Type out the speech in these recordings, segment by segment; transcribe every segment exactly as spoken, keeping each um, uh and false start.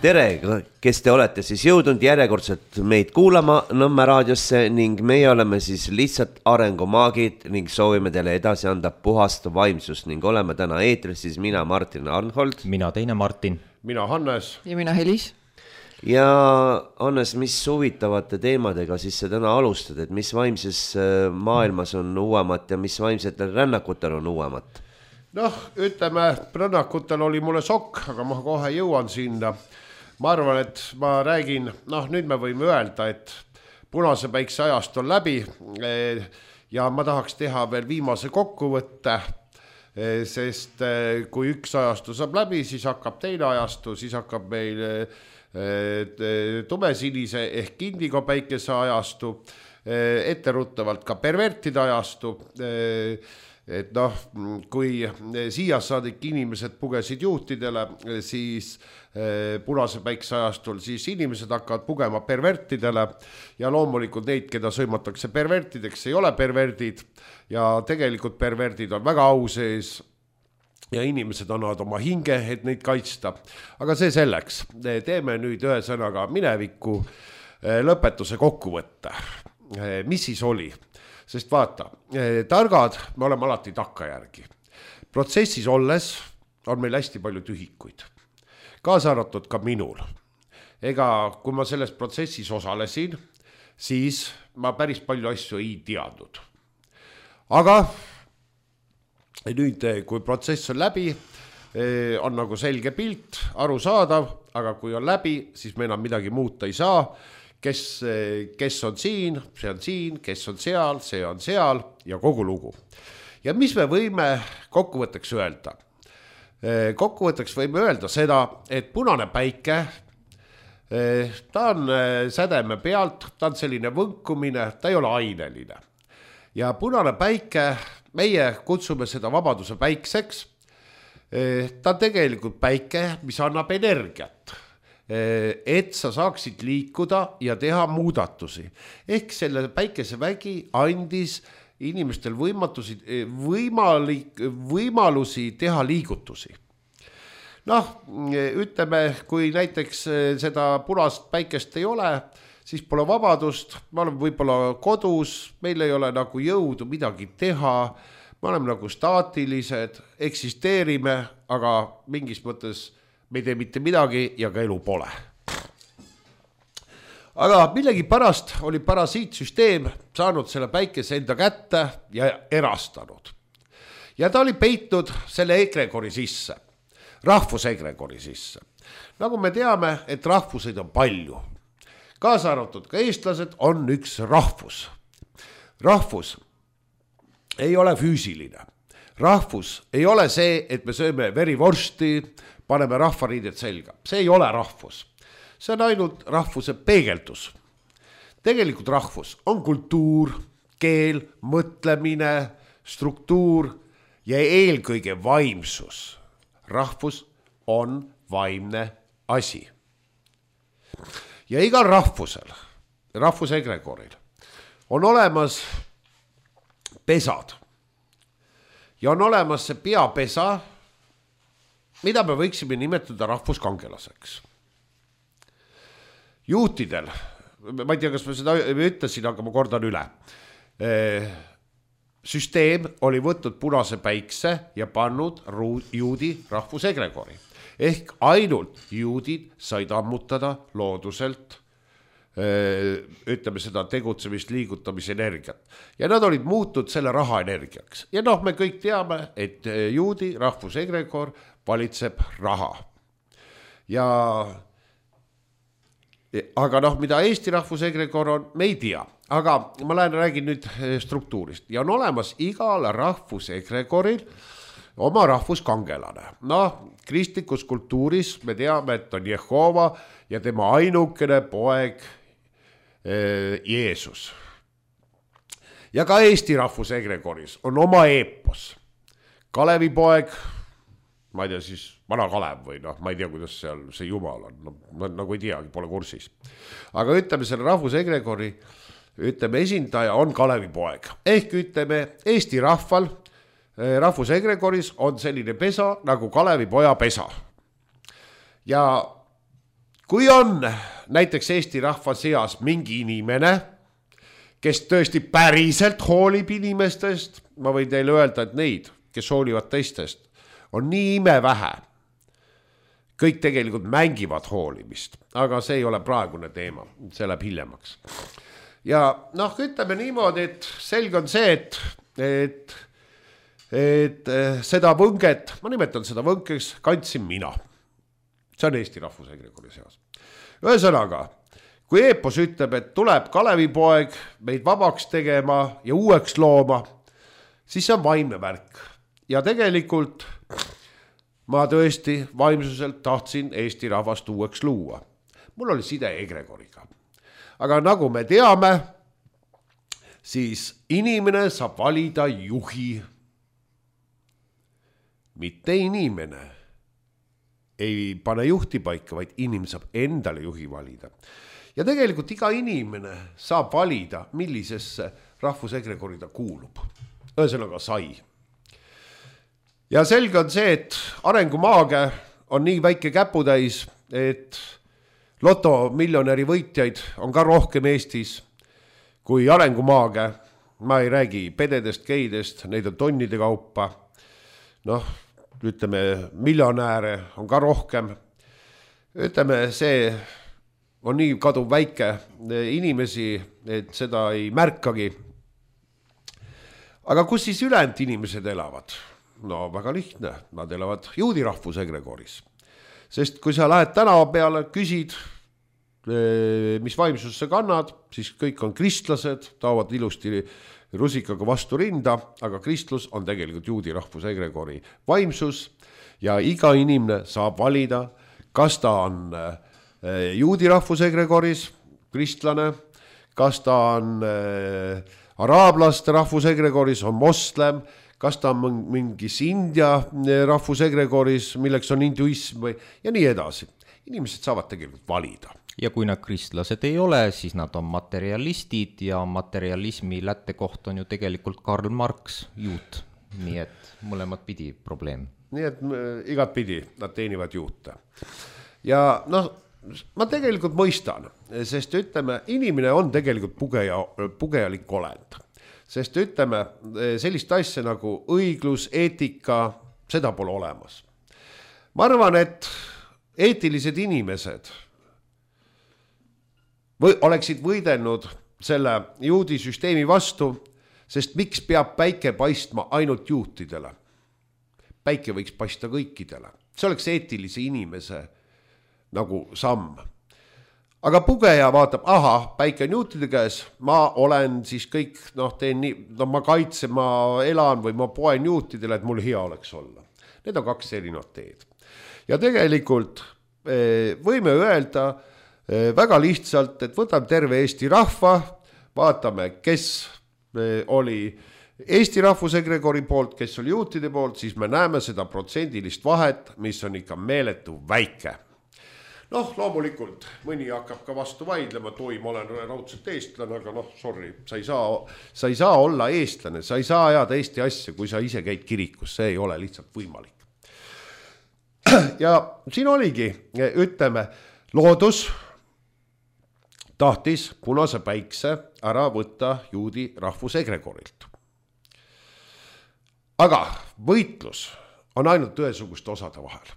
tere, kes te olete siis jõudnud järjekordselt meid kuulama Nõmme raadiosse ning meie oleme siis lihtsalt arengumaagid ning soovime teile edasi anda puhast vaimsust ning oleme täna eetris siis mina Martin Arnhold. Mina teine Martin. Mina Hannes. Ja mina Helis. Ja Hannes, mis huvitavate teemadega siis sa täna alustad, et mis vaimses maailmas on uuemat ja mis vaimsetel rännakutel on uuemat? Noh, ütleme, rännakutel oli mulle sokk, aga ma kohe jõuan sinna. Ma arvan, et ma räägin, noh nüüd me võime öelda, et punase päikse ajast on läbi ja ma tahaks teha veel viimase kokkuvõtte, sest kui üks ajastu saab läbi, siis hakkab teine ajastu, siis hakkab meil tumesinise ehk indigo päikese ajastu, etteruttavalt ka pervertide ajastu, et noh, kui siia saadik inimesed pugesid juutidele, siis punase päikse ajastul, siis inimesed hakkavad pugema pervertidele ja loomulikult neid, keda sõimatakse pervertideks, ei ole perverdid ja tegelikult perverdid on väga au sees ja inimesed annavad oma hinge, et neid kaitsta. Aga see selleks, teeme nüüd ühe sõnaga mineviku lõpetuse kokkuvõtte. Mis siis oli? Sest vaata, targad me oleme alati takkajärgi. Protsessis olles on meil hästi palju tühikuid. Kaasa arvatud ka minul. Ega kui ma selles protsessis osalesin, siis ma päris palju asju ei teadnud. Aga nüüd, kui protsess on läbi, on nagu selge pilt, arusaadav, aga kui on läbi, siis me enam midagi muuta ei saa. Kes, kes on siin, see on siin, kes on seal, see on seal ja kogu lugu. Ja mis me võime kokkuvõtteks öelda? Kokkuvõtteks võime öelda seda, et punane päike, ta on sädeme pealt, ta on selline võnkumine, ta ei ole aineline. Ja punane päike, meie kutsume seda vabaduse päikseks, ta on tegelikult päike, mis annab energiat. Et sa saaksid liikuda ja teha muudatusi. Ehk selle päikese vägi andis inimestel võimatusi, võimalik, võimalusi teha liigutusi. Noh, ütleme, kui näiteks seda punast päikest ei ole, siis pole vabadust, me oleme võib-olla kodus, meil ei ole nagu jõudu midagi teha, me oleme nagu staatilised, eksisteerime, aga mingis mõttes me ei tee mitte midagi ja ka elu pole. Aga millegi pärast oli parasiitsüsteem saanud selle päikese enda kätte ja erastanud. Ja ta oli peitnud selle egregori sisse, rahvusegregori sisse. Nagu me teame, et rahvuseid on palju. Kaasa arvatud ka eestlased on üks rahvus. Rahvus ei ole füüsiline. Rahvus ei ole see, et me sööme verivorsti, paneme rahvariidet selga. See ei ole rahvus. See on ainult rahvuse peegeldus. Tegelikult rahvus on kultuur, keel, mõtlemine, struktuur ja eelkõige vaimsus. Rahvus on vaimne asi. Ja igal rahvusel, rahvusegregoril, on olemas pesad. Ja on olemas see peapesa, mida me võiksime nimetada rahvuskangelaseks. Juutidel, ma ei tea, kas ma seda ütlesin, aga ma kordan üle. Süsteem oli võtnud punase päikse ja pannud juudi rahvusegregori. Ehk ainult juudid said ammutada looduselt, ütleme seda tegutsemist, liigutamise energiat. Ja nad olid muutud selle raha energiaks. Ja noh, me kõik teame, et juudi rahvusegregor valitseb raha. Ja, aga noh, mida Eesti rahvusegregor on, me ei tea. Aga ma lähen räägin nüüd struktuurist. Ja on olemas igal rahvusegregoril oma rahvuskangelane. Noh, kristlikus kultuuris me teame, et on Jehova ja tema ainukene poeg Jeesus. Ja ka Eesti rahvusegregoris on oma eepos. Kalevi poeg, ma ei tea siis, vana Kalev või noh, ma ei tea, kuidas seal see jumal on, no, ma nagu ei teagi, pole kursis. Aga ütleme selle rahvusegregori, ütleme esindaja on Kalevi poeg. Ehk ütleme Eesti rahval, rahvusegregoris on selline pesa nagu Kalevi poja pesa. Ja kui on näiteks Eesti rahva seas mingi inimene, kes tõesti päriselt hoolib inimestest, ma võin teile öelda, et neid, kes hoolivad teistest, on nii imevähe. Kõik tegelikult mängivad hoolimist, aga see ei ole praegune teema, see läheb hiljemaks. Ja noh, ütleme niimoodi, et selge on see, et, et, et seda võnget, ma nimetan seda võnkeks, kandsin mina. See on Eesti rahvusegregori seas. Ühesõnaga, kui Eepos ütleb, et tuleb Kalevipoeg meid vabaks tegema ja uueks looma, siis see on vaimne värk. Ja tegelikult ma tõesti vaimsuselt tahtsin Eesti rahvast uueks luua. Mul oli side egregoriga. Aga nagu me teame, siis inimene saab valida juhi. Mitte inimene ei pane juhti paika, vaid inimene saab endale juhi valida. Ja tegelikult iga inimene saab valida, millisesse rahvusegregori ta kuulub. Ühesõnaga sai. Ja selge on see, et arengumaage on nii väike käputäis, et loto miljonäri võitjaid on ka rohkem Eestis kui arengumaage. Ma ei räägi pededest, geidest, neid on tonnide kaupa. Noh, ütleme, miljonääre on ka rohkem. Ütleme, see on nii kaduv väike inimesi, et seda ei märkagi. Aga kus siis ülejäänud inimesed elavad? No väga lihtne, nad elavad juudi rahvusegregoris. Sest kui sa lähed tänava peale, küsid, mis vaimsus sa kannad, siis kõik on kristlased, taovad ilusti rusikaga vastu rinda, aga kristlus on tegelikult juudi rahvusegregori vaimsus ja iga inimene saab valida, kas ta on juudi rahvusegregoris, kristlane, kas ta on araablaste rahvusegregoris, on moslem, kas ta on mingis India rahvusegregoris, milleks on hinduism või, ja nii edasi. Inimesed saavad tegelikult valida. Ja kui nad kristlased ei ole, siis nad on materialistid ja materialismi lähtekoht on ju tegelikult Karl Marx, juut. Nii et mõlemad pidi probleem. Nii et igat pidi nad teenivad juute. Ja noh, ma tegelikult mõistan, sest ütleme, inimene on tegelikult pugeja, pugejalik olend. Sest ütleme, sellist asja nagu õiglus, eetika, seda pole olemas. Ma arvan, et eetilised inimesed või oleksid võidelnud selle juudi süsteemi vastu, sest miks peab päike paistma ainult juutidele? Päike võiks paista kõikidele. See oleks eetilise inimese nagu samm. Aga pugeja vaatab, aha, päike on juutide käes, ma olen siis kõik, noh, teen nii, no ma kaitsen, ma elan või ma poen juutidele, et mul hea oleks olla. Need on kaks erinevat teed. Ja tegelikult võime öelda väga lihtsalt, et võtame terve Eesti rahva, vaatame, kes oli Eesti rahvusegregori poolt, kes oli juutide poolt, siis me näeme seda protsendilist vahet, mis on ikka meeletu väike. Noh, loomulikult, mõni hakkab ka vastu vaidlema, et oi, ma olen raudselt eestlane, aga noh, sorry, sa ei saa, sa ei saa olla eestlane, sa ei saa ajada Eesti asja, kui sa ise käid kirikus, see ei ole lihtsalt võimalik. Ja siin oligi, ütleme, loodus tahtis punase päikse ära võtta juudi rahvusegregorilt. Aga võitlus on ainult ühesuguste osade vahel.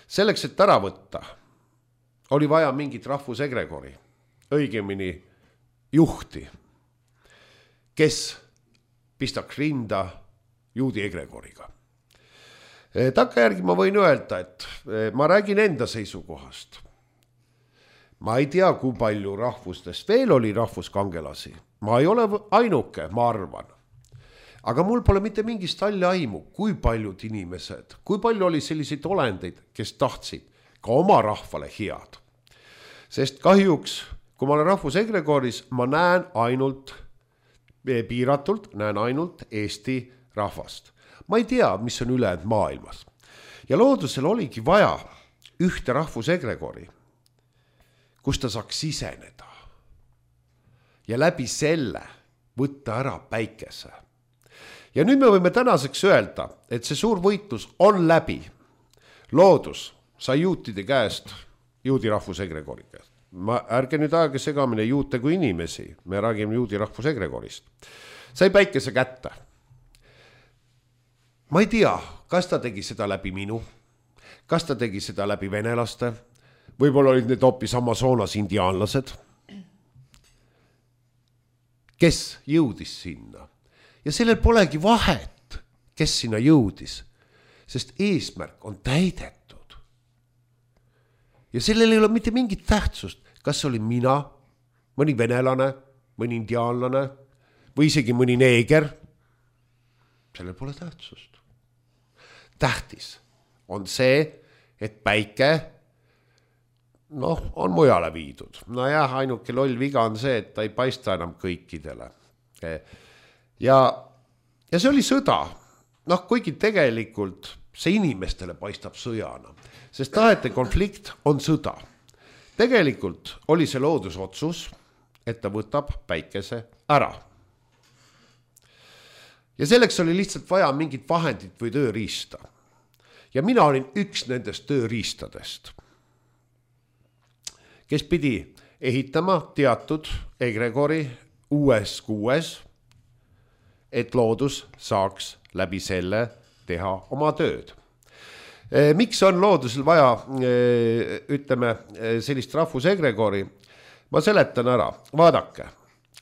Selleks, et ära võtta, oli vaja mingit rahvusegregori, õigemini juhti, kes pistaks rinda juudi egregoriga. Takkajärgi ma võin öelda, et ma räägin enda seisukohast. Ma ei tea, kui palju rahvustest veel oli rahvuskangelasi. Ma ei ole ainuke, ma arvan. Aga mul pole mitte mingist halli aimu, kui paljud inimesed, kui palju oli selliseid olendeid, kes tahtsid ka oma rahvale head. Sest kahjuks, kui ma olen rahvusegregoris, ma näen ainult, piiratult, näen ainult Eesti rahvast. Ma ei tea, mis on ülejäänud maailmas. Ja loodusel oligi vaja ühte rahvusegregori, kus ta saaks siseneda. Ja läbi selle võtta ära päikese. Ja nüüd me võime tänaseks öelda, et see suur võitlus on läbi. Loodus sai juutide käest juudi rahvusegregoriga. Ma, ärge nüüd aega segamine juute kui inimesi, me räägime juudi rahvusegregorist. Sai päikese kätte. Ma ei tea, kas ta tegi seda läbi minu, kas ta tegi seda läbi venelaste, võib-olla olid need hoopis Amazonas indiaanlased, kes jõudis sinna. Ja sellel polegi vahet, kes sinna jõudis, sest eesmärk on täidetud. Ja sellel ei ole mitte mingit tähtsust, kas oli mina, mõni venelane, mõni indiaanlane või isegi mõni neeger. Sellel pole tähtsust. Tähtis on see, et päike noh, on mujale viidud. No jah, ainuke loll viga on see, et ta ei paista enam kõikidele. Ja, ja see oli sõda. Noh, kuigi tegelikult see inimestele paistab sõjana, sest tahete konflikt on sõda. Tegelikult oli see loodusotsus, et ta võtab päikese ära. Ja selleks oli lihtsalt vaja mingit vahendit või tööriista. Ja mina olin üks nendest tööriistadest, kes pidi ehitama teatud egregori uues kuues, et loodus saaks läbi selle teha oma tööd. Miks on loodusel vaja, ütleme, sellist rahvusegregori? Ma seletan ära. Vaadake,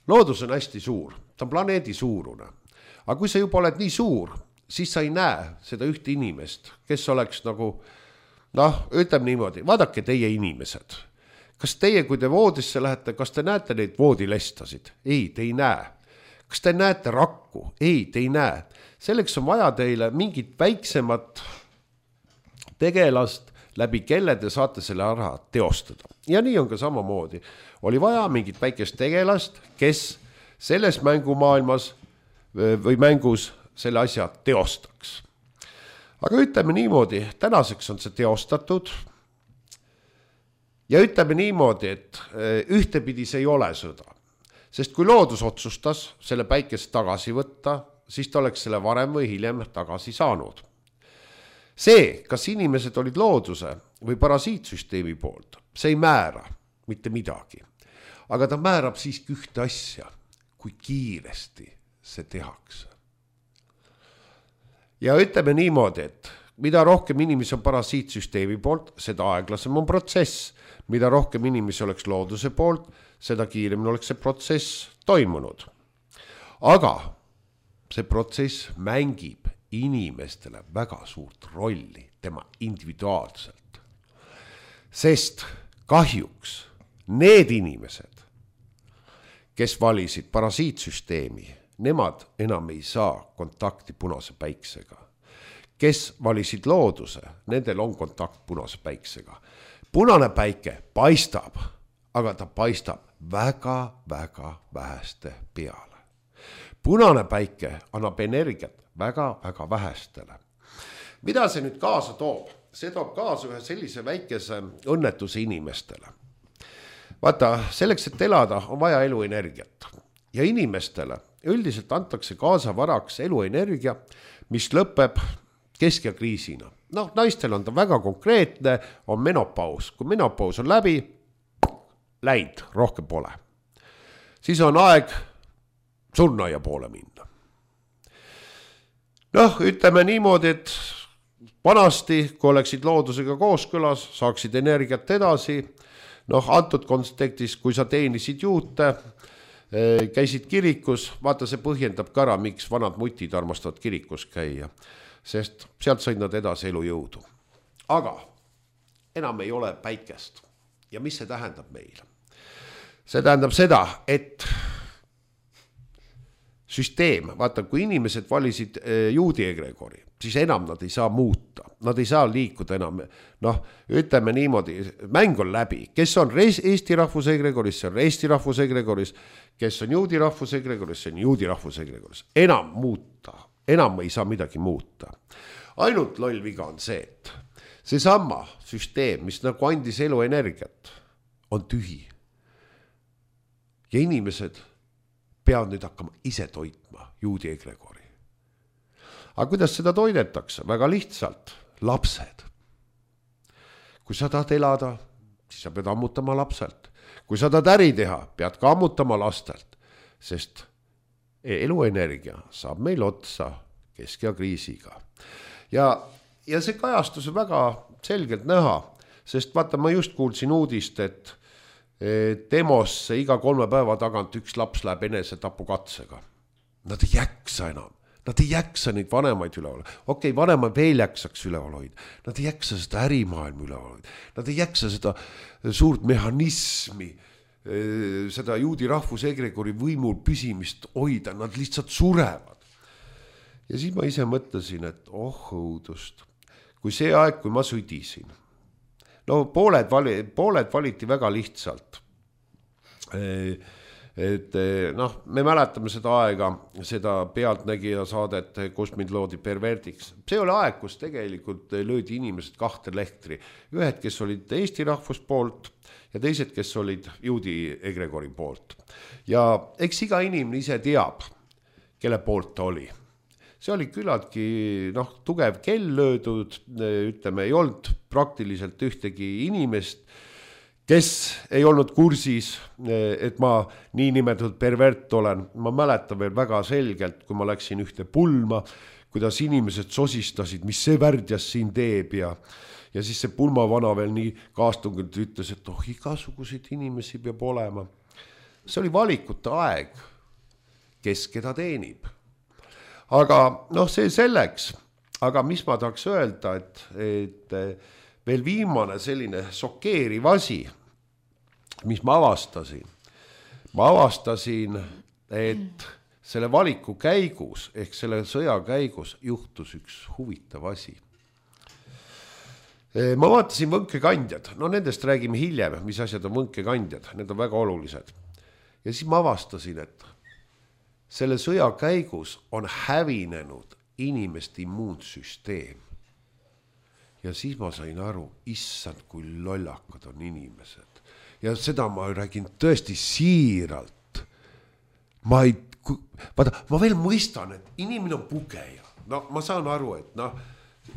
loodus on hästi suur, ta on planeedi suurune. Aga kui sa juba oled nii suur, siis sa ei näe seda ühte inimest, kes oleks nagu, noh, ütleme niimoodi, vaadake teie inimesed. Kas teie, kui te voodisse lähete, kas te näete neid voodilestasid? Ei, te ei näe. Kas te näete rakku? Ei, te ei näe. Selleks on vaja teile mingit väiksemat tegelast, läbi kelle te saate selle ära teostada. Ja nii on ka samamoodi. Oli vaja mingit väikest tegelast, kes selles mängumaailmas või mängus selle asja teostaks. Aga ütleme niimoodi, tänaseks on see teostatud ja ütleme niimoodi, et ühtepidi see ei ole sõda. Sest kui loodus otsustas selle päikest tagasi võtta, siis ta oleks selle varem või hiljem tagasi saanud. See, kas inimesed olid looduse või parasiitsüsteemi poolt, see ei määra mitte midagi. Aga ta määrab siiski ühte asja, kui kiiresti see tehakse. Ja ütleme niimoodi, et mida rohkem inimesi on parasiitsüsteemi poolt, seda aeglasem on protsess. Mida rohkem inimesi oleks looduse poolt, seda kiiremini oleks see protsess toimunud. Aga see protsess mängib inimestele väga suurt rolli tema individuaalselt. Sest kahjuks need inimesed, kes valisid parasiitsüsteemi, nemad enam ei saa kontakti punase päiksega. Kes valisid looduse, nendel on kontakt punase päiksega. Punane päike paistab, aga ta paistab väga-väga väheste peale. Punane päike annab energiat väga-väga vähestele. Mida see nüüd kaasa toob? See toob kaasa ühe sellise väikese õnnetuse inimestele. Vaata, selleks, et elada, on vaja eluenergiat. Ja inimestele üldiselt antakse kaasa varaks eluenergia, mis lõpeb keskjakriisina. Noh, naistel on ta väga konkreetne, on menopaus. Kui menopaus on läbi, läinud, rohkem pole. Siis on aeg surnaia poole minna. Noh, ütleme niimoodi, et vanasti, kui oleksid loodusega kooskõlas, saaksid energiat edasi. Noh, antud kontekstis, kui sa teenisid juute, käisid kirikus, vaata see põhjendab ka ära, miks vanad mutid armastavad kirikus käia, sest sealt said nad edasi elujõudu. Aga enam ei ole päikest. Ja mis see tähendab meile? See tähendab seda, et süsteem, vaata, kui inimesed valisid juudi egregori, siis enam nad ei saa muuta. Nad ei saa liikuda enam. Noh, ütleme niimoodi, mäng on läbi. Kes on Eesti rahvusegregoris, see on Eesti rahvusegregoris. Kes on juudi rahvusegregoris, see on juudi rahvusegregoris. Enam muuta. Enam ei saa midagi muuta. Ainult loll viga on see, et see sama süsteem, mis nagu andis eluenergiat, on tühi. Ja inimesed peavad nüüd hakkama ise toitma juudi egregori. Aga kuidas seda toidetakse? Väga lihtsalt. Lapsed. Kui sa tahad elada, siis sa pead ammutama lapselt. Kui sa tahad äri teha, pead ka ammutama lastelt, sest eluenergia saab meil otsa keskea kriisiga. Ja, ja see kajastus on väga selgelt näha, sest vaata, ma just kuulsin uudist, et demosse iga kolme päeva tagant üks laps läheb enese tapukatsega. Nad ei jaksa enam. Nad ei jaksa neid vanemaid üleval. Okei, okay, vanemaid veel jaksaks üleval hoida. Nad ei jaksa seda ärimaailma üleval hoida. Nad ei jaksa seda suurt mehhanismi, seda juudi rahvusegregori võimul püsimist hoida. Nad lihtsalt surevad. Ja siis ma ise mõtlesin, et oh õudust. Kui see aeg, kui ma sõdisin, no pooled, vali, pooled valiti väga lihtsalt. Et noh, me mäletame seda aega, seda pealtnägija saadet, kus mind loodi perverdiks. See oli aeg, kus tegelikult löödi inimesed kahte lehtri. Ühed, kes olid Eesti rahvus poolt ja teised, kes olid juudi egregori poolt. Ja eks iga inimene ise teab, kelle poolt ta oli. See oli küllaltki noh, tugev kell löödud, ütleme, ei olnud praktiliselt ühtegi inimest, kes ei olnud kursis, et ma nii nimetatud pervert olen. Ma mäletan veel väga selgelt, kui ma läksin ühte pulma, kuidas inimesed sosistasid, mis see värdjas siin teeb ja, ja siis see pulmavana veel nii kaastungult ütles, et oh, igasuguseid inimesi peab olema. See oli valikute aeg, kes keda teenib. Aga noh, see selleks, aga mis ma tahaks öelda, et, et veel viimane selline šokeeriv asi, mis ma avastasin. Ma avastasin, et selle valiku käigus, ehk selle sõja käigus juhtus üks huvitav asi. Ma vaatasin võnkekandjad, no nendest räägime hiljem, mis asjad on võnkekandjad, need on väga olulised. Ja siis ma avastasin, et selle sõja käigus on hävinenud inimeste immuunsüsteem. Ja siis ma sain aru, issand, kui lollakad on inimesed. Ja seda ma räägin tõesti siiralt. Ma ei, vaata, ma veel mõistan, et inimene on pugeja. No ma saan aru, et no,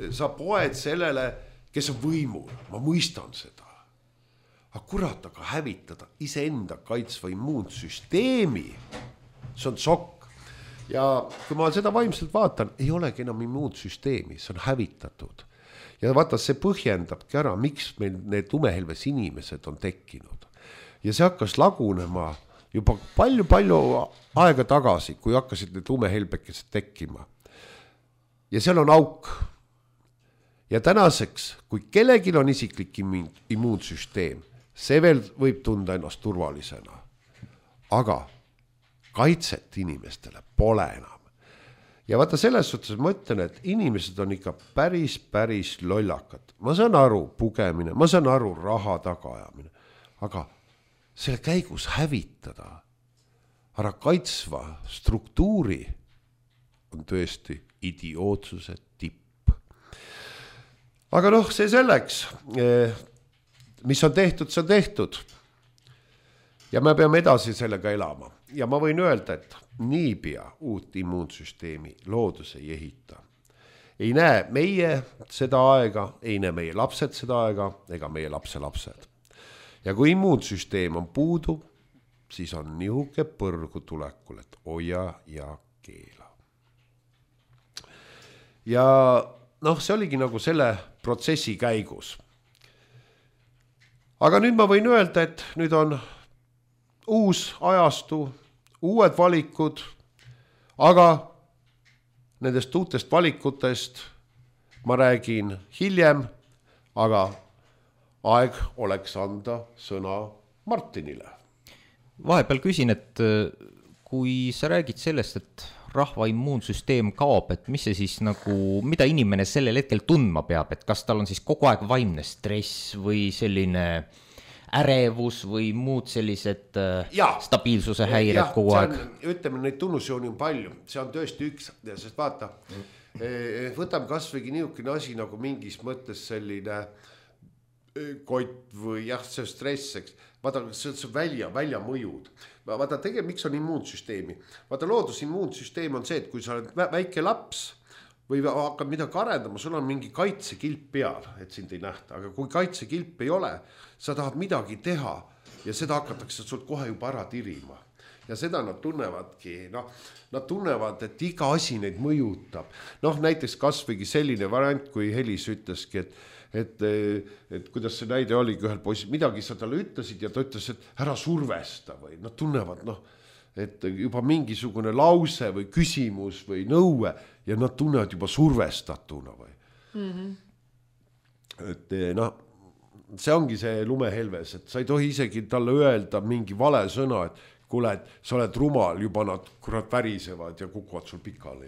sa poed sellele, kes on võimul. Ma mõistan seda. Aga kurat, aga hävitada iseenda kaitsva immuunsüsteemi. See on šokk. Ja kui ma seda vaimselt vaatan, ei olegi enam immuunsüsteemi, see on hävitatud. Ja vaata, see põhjendabki ära, miks meil need tumehelves inimesed on tekkinud. Ja see hakkas lagunema juba palju-palju aega tagasi, kui hakkasid need tumehelbekesed tekkima. Ja seal on auk. Ja tänaseks, kui kellelgi on isiklik immuunsüsteem, see veel võib tunda ennast turvalisena. Aga kaitset inimestele pole enam. Ja vaata selles suhtes ma ütlen, et inimesed on ikka päris, päris lollakad. Ma saan aru pugemine, ma saan aru raha tagaajamine, aga selle käigus hävitada ära kaitsva struktuuri on tõesti idiootsuse tipp. Aga noh, see selleks, mis on tehtud, see on tehtud. Ja me peame edasi sellega elama. Ja ma võin öelda, et niipea uut immuunsüsteemi loodus ei ehita. Ei näe meie seda aega, ei näe meie lapsed seda aega, ega meie lapse lapsed. Ja kui immuunsüsteem on puudu, siis on nihuke põrgu tulekul, et hoia ja keela. Ja noh, see oligi nagu selle protsessi käigus. Aga nüüd ma võin öelda, et nüüd on uus ajastu, uued valikud, aga nendest uutest valikutest ma räägin hiljem, aga aeg oleks anda sõna Martinile. Vahepeal küsin, et kui sa räägid sellest, et rahva immuunsüsteem kaob, et mis see siis nagu, mida inimene sellel hetkel tundma peab, et kas tal on siis kogu aeg vaimne stress või selline ärevus või muud sellised ja, stabiilsuse häired ja, kogu aeg? On, ütleme, neid tunnusjooni on palju, see on tõesti üks, sest vaata, mm. võtame kasvõigi niisugune asi nagu mingis mõttes selline kott või jah, see stresseks, vaata, see on välja, välja mõjud. Vaata, tegelikult miks on immuunsüsteemi? Vaata, loodus immuunsüsteem on see, et kui sa oled väike laps, või hakkad midagi arendama, sul on mingi kaitsekilp peal, et sind ei nähta, aga kui kaitsekilp ei ole, sa tahad midagi teha ja seda hakatakse sult kohe juba ära tirima. Ja seda nad tunnevadki, noh, nad tunnevad, et iga asi neid mõjutab. Noh, näiteks kasvõigi selline variant, kui Helis ütleski, et et, et kuidas see näide oligi ühel poisil, midagi sa talle ütlesid ja ta ütles, et ära survesta või nad tunnevad, noh, et juba mingisugune lause või küsimus või nõue ja nad tunnevad juba survestatuna või. Mm-hmm. Et noh, see ongi see lumehelves, et sa ei tohi isegi talle öelda mingi vale sõna, et kuule, et sa oled rumal, juba nad kurat värisevad ja kukuvad sul pikali.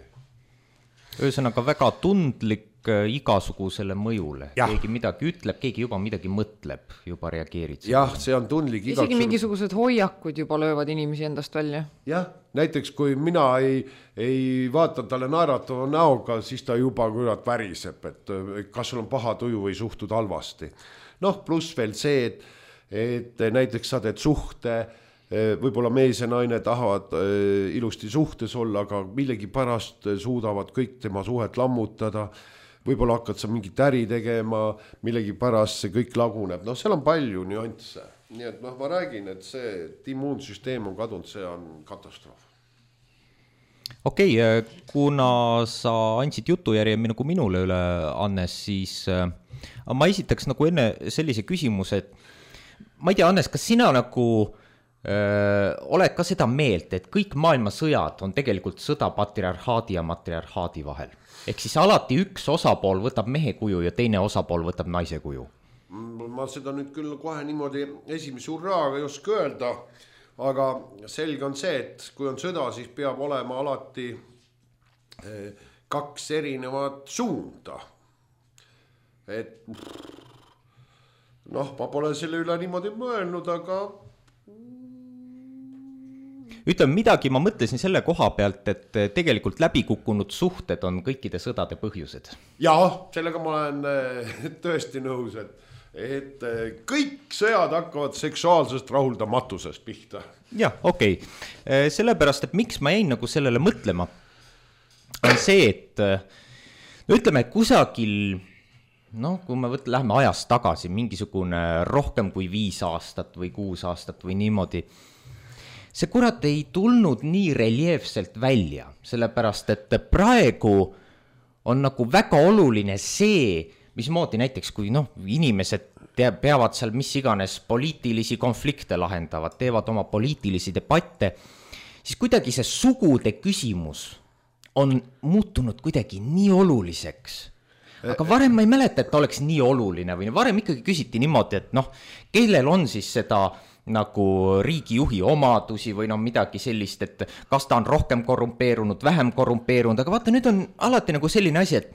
Ühesõnaga väga tundlik igasugusele mõjule. Ja. Keegi midagi ütleb, keegi juba midagi mõtleb, juba reageerid. Jah, see on tundlik. Isegi mingisugused hoiakud juba löövad inimesi endast välja. Jah, näiteks kui mina ei, ei vaata talle naeratava näoga, siis ta juba kurat väriseb, et kas sul on paha tuju või suhtud halvasti. Noh, pluss veel see, et, et näiteks sa teed suhte, võib-olla mees ja naine tahavad ilusti suhtes olla, aga millegi pärast suudavad kõik tema suhet lammutada, võib-olla hakkad sa mingit äri tegema, millegi pärast see kõik laguneb, noh, seal on palju nüansse, nii et noh, ma räägin, et see et immuunsüsteem on kadunud, see on katastroof. Okei, okay, kuna sa andsid jutujärje nagu minule üle, Annes, siis ma esitaks nagu enne sellise küsimuse, et ma ei tea, Annes, kas sina nagu Öö, oled ka seda meelt, et kõik maailma sõjad on tegelikult sõda patriarhaadi ja matriarhaadi vahel. Ehk siis alati üks osapool võtab mehe kuju ja teine osapool võtab naise kuju. Ma seda nüüd küll kohe niimoodi esimese hurraaga ei oska öelda, aga selge on see, et kui on sõda, siis peab olema alati kaks erinevat suunda. Et noh, ma pole selle üle niimoodi mõelnud, aga ütleme midagi, ma mõtlesin selle koha pealt, et tegelikult läbikukkunud suhted on kõikide sõdade põhjused. Jaa, sellega ma olen tõesti nõus, et, et kõik sõjad hakkavad seksuaalsest rahuldamatusest pihta. Jah, okei. Okay. Sellepärast, et miks ma jäin nagu sellele mõtlema, on see, et no ütleme, kusagil, noh, kui me võt, läheme ajast tagasi, mingisugune rohkem kui viis aastat või kuus aastat või niimoodi, see kurat ei tulnud nii reljeefselt välja, sellepärast, et praegu on nagu väga oluline see, mismoodi näiteks, kui noh, inimesed peavad seal mis iganes poliitilisi konflikte lahendavad, teevad oma poliitilisi debatte, siis kuidagi see sugude küsimus on muutunud kuidagi nii oluliseks. Aga varem ma ei mäleta, et ta oleks nii oluline või varem ikkagi küsiti niimoodi, et noh, kellel on siis seda nagu riigijuhi omadusi või no midagi sellist, et kas ta on rohkem korrumpeerunud, vähem korrumpeerunud, aga vaata, nüüd on alati nagu selline asi, et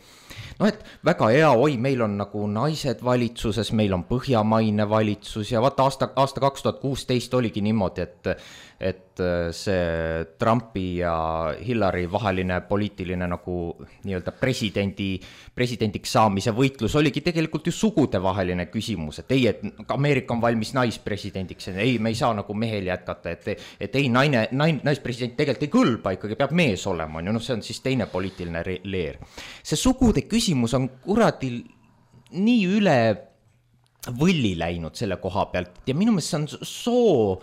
noh, et väga hea, oi, meil on nagu naised valitsuses, meil on põhjamaine valitsus ja vaata aasta, aasta kaks tuhat kuusteist oligi niimoodi, et, et see Trumpi ja Hillary vaheline poliitiline nagu nii-öelda presidendi, presidendiks saamise võitlus oligi tegelikult ju sugude vaheline küsimus, et ei, et Ameerika on valmis naispresidendiks, ei, me ei saa nagu mehel jätkata, et, et ei, naine, naine, naispresident tegelikult ei kõlba, ikkagi peab mees olema, on ju, noh, see on siis teine poliitiline leer. See sugude küsimus on kuradil nii üle võlli läinud selle koha pealt ja minu meelest see on soo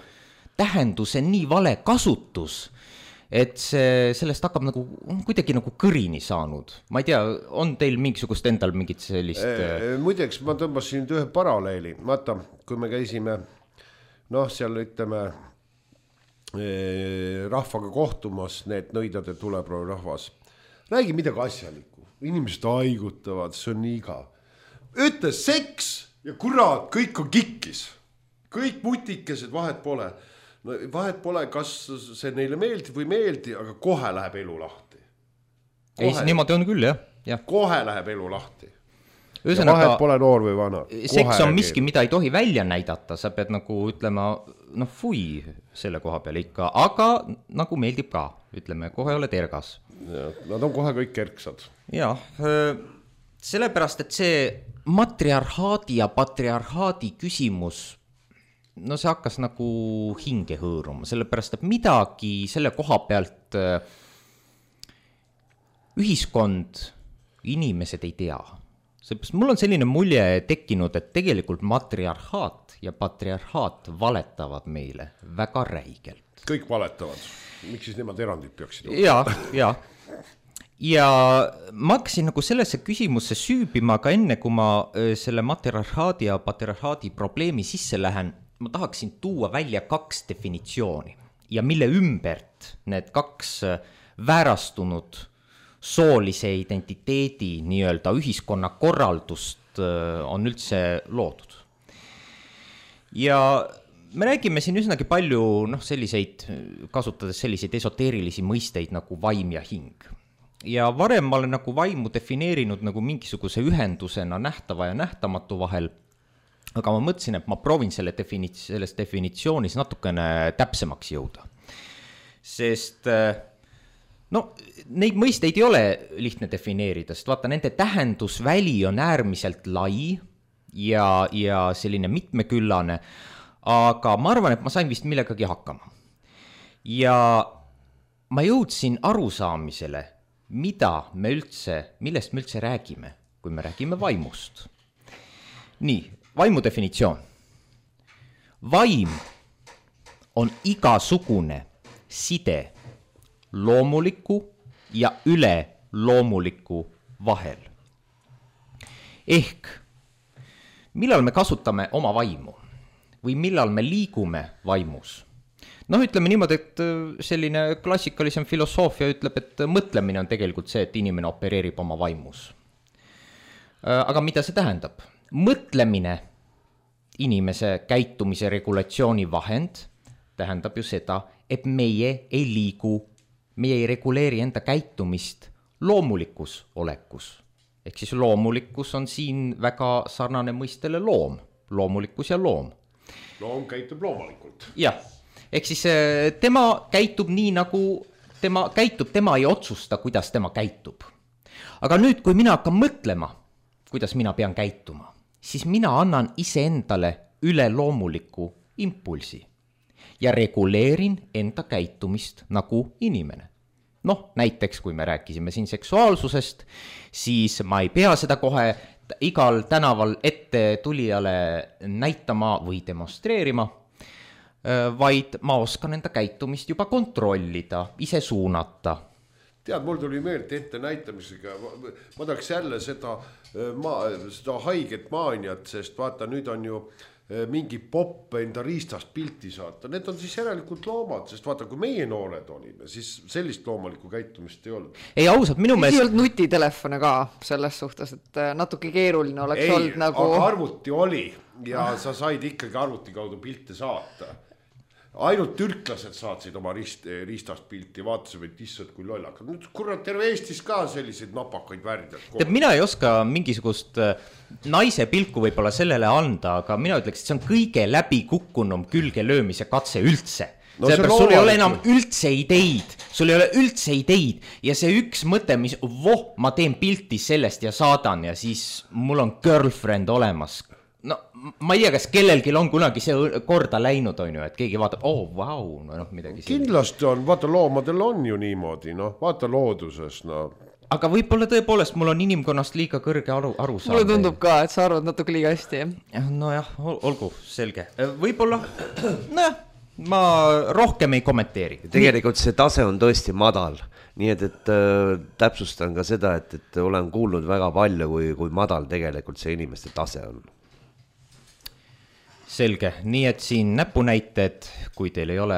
tähenduse nii vale kasutus, et see, sellest hakkab nagu kuidagi nagu kõrini saanud. Ma ei tea, on teil mingisugust endal mingit sellist... E, muideks ma tõmbasin ühe paralleeli. Vaata, kui me käisime, noh, seal ütleme rahvaga kohtumas, need nõidade tuleproov rahvas, räägi midagi asjalikku. Inimesed haigutavad, see on nii iga. Ütle seks ja kurat, kõik on kikkis. Kõik mutikesed, vahet pole. No, vahet pole, kas see neile meeldib või meeldi, aga kohe läheb elu lahti. Kohe, ei, see niimoodi on küll, jah. Ja. Kohe läheb elu lahti. Ühesõnaga, vahet pole noor või vana. Seks on miski, mida ei tohi välja näidata, sa pead nagu ütlema, noh, fui selle koha peal ikka, aga nagu meeldib ka, ütleme, kohe oled ergas. Ja, nad on kohe kõik kerksad. Ja, sellepärast, et see matriarhaadi ja patriarhaadi küsimus, no see hakkas nagu hinge hõõruma, sellepärast, et midagi selle koha pealt ühiskond inimesed ei tea. Seepärast mul on selline mulje tekkinud, et tegelikult matriarhaat ja patriarhaat valetavad meile väga räigelt. Kõik valetavad. Miks siis nemad erandid peaksid? Ja, ja. Ja ma hakkasin nagu sellesse küsimusse süübima, aga enne kui ma selle matriarhaadi ja patriarhaadi probleemi sisse lähen, ma tahaksin tuua välja kaks definitsiooni ja mille ümbert need kaks väärastunud soolise identiteedi nii-öelda ühiskonna korraldust on üldse loodud. Ja me räägime siin üsnagi palju noh, selliseid, kasutades selliseid esoteerilisi mõisteid nagu vaim ja hing. Ja varem ma olen nagu vaimu defineerinud nagu mingisuguse ühendusena nähtava ja nähtamatu vahel, aga ma mõtlesin, et ma proovin selle definits- selles definitsioonis natukene täpsemaks jõuda. Sest no, neid mõisteid ei ole lihtne defineerida, sest vaata, nende tähendusväli on äärmiselt lai ja, ja selline mitmeküllane, aga ma arvan, et ma sain vist millegagi hakkama. Ja ma jõudsin arusaamisele, mida me üldse, millest me üldse räägime, kui me räägime vaimust. Nii, vaimu definitsioon. Vaim on igasugune side loomuliku ja üle loomuliku vahel. Ehk, millal me kasutame oma vaimu või millal me liigume vaimus? Noh, ütleme niimoodi, et selline klassikalisem filosoofia ütleb, et mõtlemine on tegelikult see, et inimene opereerib oma vaimus. Aga mida see tähendab? Mõtlemine inimese käitumise regulatsiooni vahend tähendab ju seda, et meie ei liigu meie ei reguleeri enda käitumist loomulikus olekus. Ehk siis loomulikkus on siin väga sarnane mõistele loom. Loomulikkus ja loom. Loom käitub loomulikult. Jah, ehk siis tema käitub nii, nagu tema käitub, tema ei otsusta, kuidas tema käitub. Aga nüüd, kui mina hakkan mõtlema, kuidas mina pean käituma, siis mina annan iseendale üle loomuliku impulsi. Ja reguleerin enda käitumist nagu inimene. Noh, näiteks kui me rääkisime siin seksuaalsusest, siis ma ei pea seda kohe igal tänaval ette tulijale näitama või demonstreerima, vaid ma oskan enda käitumist juba kontrollida, ise suunata. Tead, mul tuli meelde ette näitamisega, ma tahaks jälle seda, ma, seda haiget maaniat, sest vaata, nüüd on ju mingi popp enda riistast pilti saata. Need on siis järelikult loomad, sest vaata, kui meie noored olime, siis sellist loomulikku käitumist ei olnud. Ei ausalt, minu meelest... Ei olnud nutitelefone ka selles suhtes, et natuke keeruline oleks ei, olnud nagu... Ei, aga arvuti oli ja sa said ikkagi arvuti kaudu pilte saata. Ainult türklased saatsid oma riist, riistast pilti, vaatasid, et issad kui lollakad. Nüüd kurat terve Eestis ka selliseid napakaid värdjad. Tead, mina ei oska mingisugust naise pilku võib-olla sellele anda, aga mina ütleks, et see on kõige läbi kukkunum külge löömise katse üldse. No, sellepärast sul ei ole enam üldse ideid, sul ei ole üldse ideid ja see üks mõte, mis voh, ma teen pilti sellest ja saadan ja siis mul on girlfriend olemas. No ma ei tea, kas kellelgi on kunagi see korda läinud, on ju, et keegi vaatab, oh, vau, no noh, midagi. Kindlasti on, vaata loomadel on ju niimoodi, noh, vaata looduses, no. Aga võib-olla tõepoolest mul on inimkonnast liiga kõrge aru, aru saada. Mulle tundub ka, et sa arvad natuke liiga hästi. No jah, olgu, selge. Võib-olla, noh, ma rohkem ei kommenteeri. Tegelikult see tase on tõesti madal. Nii et, et äh, täpsustan ka seda, et, et olen kuulnud väga palju, kui, kui madal tegelikult see inimeste tase on. Selge, nii et siin näpunäited, kui teil ei ole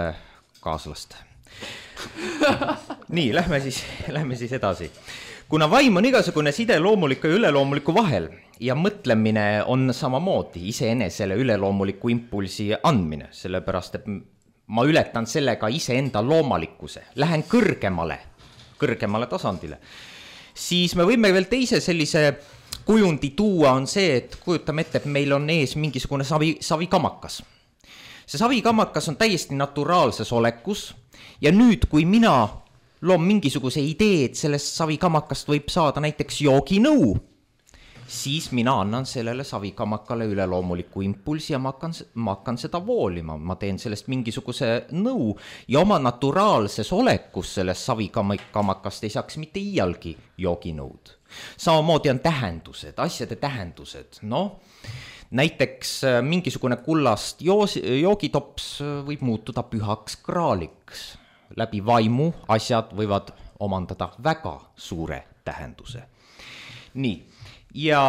kaaslast. Nii, lähme siis, lähme siis edasi. Kuna vaim on igasugune side loomuliku ja üleloomuliku vahel ja mõtlemine on samamoodi iseenesele üleloomuliku impulsi andmine, sellepärast, et ma ületan sellega iseenda loomalikkuse, lähen kõrgemale, kõrgemale tasandile, siis me võime veel teise sellise kujundi tuua on see, et kujutame ette, et meil on ees mingisugune savi, savikamakas. See savikamakas on täiesti naturaalses olekus ja nüüd, kui mina loon mingisuguse idee, et sellest savikamakast võib saada näiteks jooginõu, siis mina annan sellele savikamakale üleloomuliku impulsi ja ma hakkan, ma hakkan seda voolima, ma teen sellest mingisuguse nõu ja oma naturaalses olekus sellest savikamakast ei saaks mitte iialgi jooginõud. Samamoodi on tähendused, asjade tähendused, noh, näiteks mingisugune kullast joos, joogitops võib muutuda pühaks kraaliks. Läbi vaimu asjad võivad omandada väga suure tähenduse. Nii, ja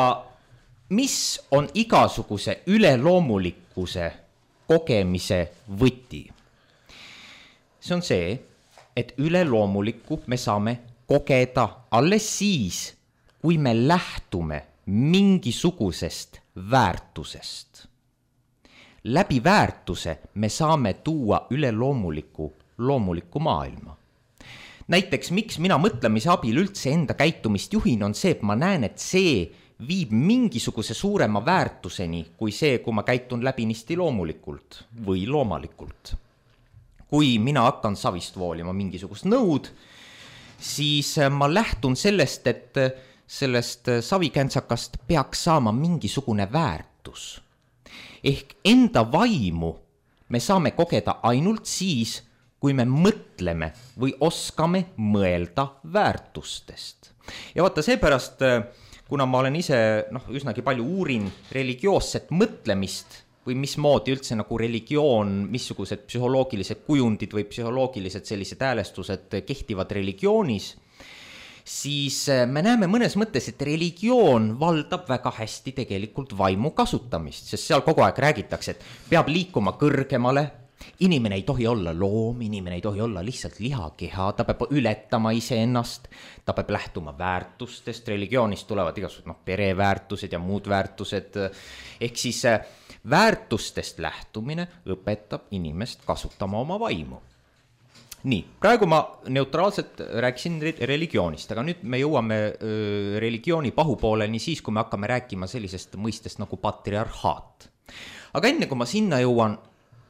mis on igasuguse üleloomulikkuse kogemise võti? See on see, et üleloomulikku me saame kogeda alles siis, kui me lähtume mingisugusest väärtusest. Läbi väärtuse me saame tuua üleloomuliku loomuliku maailma. Näiteks, miks mina mõtlemise abil üldse enda käitumist juhin, on see, et ma näen, et see viib mingisuguse suurema väärtuseni kui see, kui ma käitun läbinisti loomulikult või loomalikult. Kui mina hakkan savist voolima mingisugust nõud, siis ma lähtun sellest, et sellest savikentsakast peaks saama mingisugune väärtus. Ehk enda vaimu me saame kogeda ainult siis, kui me mõtleme või oskame mõelda väärtustest. Ja vaata seepärast, kuna ma olen ise noh, üsnagi palju uurin religioosset mõtlemist või mismoodi üldse nagu religioon, missugused psühholoogilised kujundid või psühholoogilised sellised häälestused kehtivad religioonis, siis me näeme mõnes mõttes, et religioon valdab väga hästi tegelikult vaimu kasutamist, sest seal kogu aeg räägitakse, et peab liikuma kõrgemale, inimene ei tohi olla loom, inimene ei tohi olla lihtsalt lihakeha, ta peab ületama iseennast, ta peab lähtuma väärtustest, religioonist tulevad igasugused noh, pereväärtused ja muud väärtused, ehk siis väärtustest lähtumine õpetab inimest kasutama oma vaimu. Nii, praegu ma neutraalselt rääkisin religioonist, aga nüüd me jõuame öö, religiooni pahupooleni siis, kui me hakkame rääkima sellisest mõistest nagu patriarhaat. Aga enne kui ma sinna jõuan,